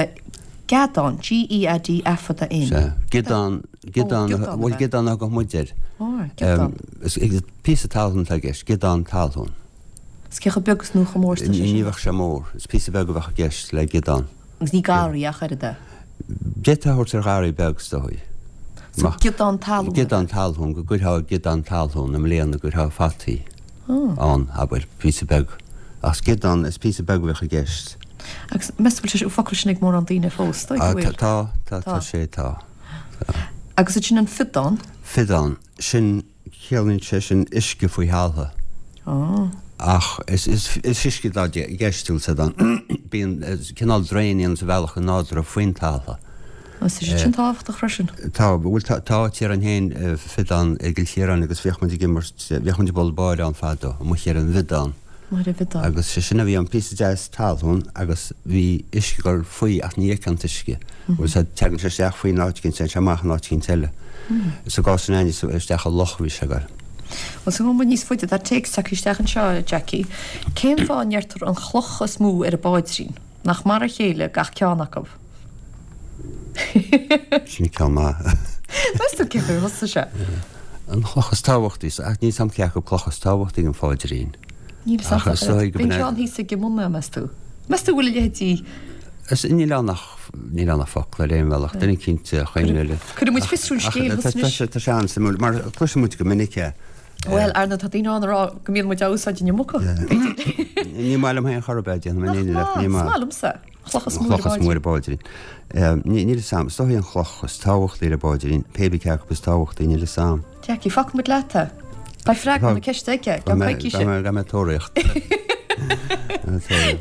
geadán, G-E-A-D A fada N. Sea. Giodán, giodán, bhuel giodán a thugadh muid air. Ó, giodán. Is píosa talún atá i gceist, giodán talún. Is cé chomh beag is nó chomh mór is atá sé sin? Ní bheadh sé mór. Is píosa beag a bheadh i gceist le giodán. Agus ní garraí ach oiread é. D'fhéadfá a thabhairt ar gharraí beag, is dóigh. So giodán talún. Giodán talún, go gcuirfeá giodán talún i mbliana, go gcuirfeá fataí ann, abair, píosa beag. Ach is giodán, is píosa beag a bheadh i gceist. Agus meas tú bhfuil sé an focal sin ag mórán daoine fós? Dóigh go bhfuil. Tá, tá, tá sé, tá. Agus ansin an fiodán? Fiodán, sin. Ciallaíonn sé sin uisce faoi thalamh. Ach is uisce atá i gceist, bhfuil 's agat. Bíonn cineál draein a dhéananns a bhealach go nádúrtha faoin talamh. Tá sé sin tábhachtach freisin. Tá, bhuel tá áit orainn féin, Fiodán i gCill Chiaráin agus bhíodh muid ag imirt, bhíodh muid ag bualadh báire ann fadó, amuigh ar an bhFiodán. Amuigh ar an bhFiodán. Agus sé sin a bhí ann, píosa deas talún agus bhí uisce ag dul faoi ach ní fheicfeá an t-uisce. Bhfuil 's agat, tagann sé isteach faoi in áit eicínt, téann sé amach in áit eicínt eile. Sa gcás sin againne, isteach i loch a bhí sé ag dul. Bhuel, is gabhfaidh muid níos faide, tá téacs tagtha isteach anseo, a Jackie. Cén fáth a ndeirtear an chloch is mó ar an bPáidrín? Nach mar a chéile gach ceann acu? Sin ceann maith. Meas tú cén chaoi ar thosaigh sé? An chloch is tábhachtaí, ach níl 's a'm cé acu cloch is tábhachtaí an Pháidrín. Níl 's a'm. Bhí an ceann thíos ag an mbun, meas tú? Meas tú bhfuil a leithéidí? Is níl ann ach níl ann ach focal ar aon bhealach, duine cinnte a choinne le. Cuirfidh muid fiosrú an scéil thuas anois. Tá sé an-suimiúil, mar cloiseann muid go minic é. Bhuel, ar ndóigh, tá daoine ann a rá go mbíonn muid á úsáid an iomarca, b'fhéidir. Ní maith liom féin chor ar bith, déanfaidh mé an fhírinne leat, ní maith. Is maith liomsa. Chloch is mó ar an bPáidrín. Níl 'fhios a'm. Is dóigh an chloch is tábhachtaí ar an bPáidrín, pé bith cé acu is tábhachtaí, níl 'fhios a'm. Jackie, fágfaidh muid leat é. Beidh freagra na ceiste aige i gceann coicíse. Beidh mé ag tóraíocht.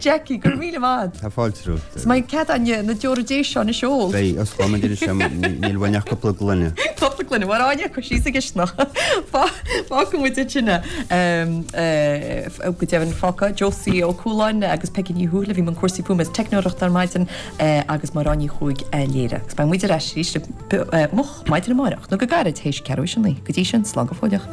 Jackie, go raibh míle maith. Tá fáilte romhat. Is maith cead againn na deora déise seo anois a ól. Beidh, osclóidh muid anois é, níl uainn ach cúpla gloine. Cúpla gloine, mar Áine, cuir síos sa gcisteanach. Fágfaidh muid ansin é. Go deimhin fágtha, Josie Ó Cualáin agus Peigí Ní Thuathail a bhí i mbun cúrsaí fuaime is teicneoireachta ar maidin agus Máire Áine Ní Chuaig a léirigh. Agus beidh muid ar ais arís moch maidin amárach nó go gairid théis ceathrú théis a 9. Go dtí sin, slán go fóilleach.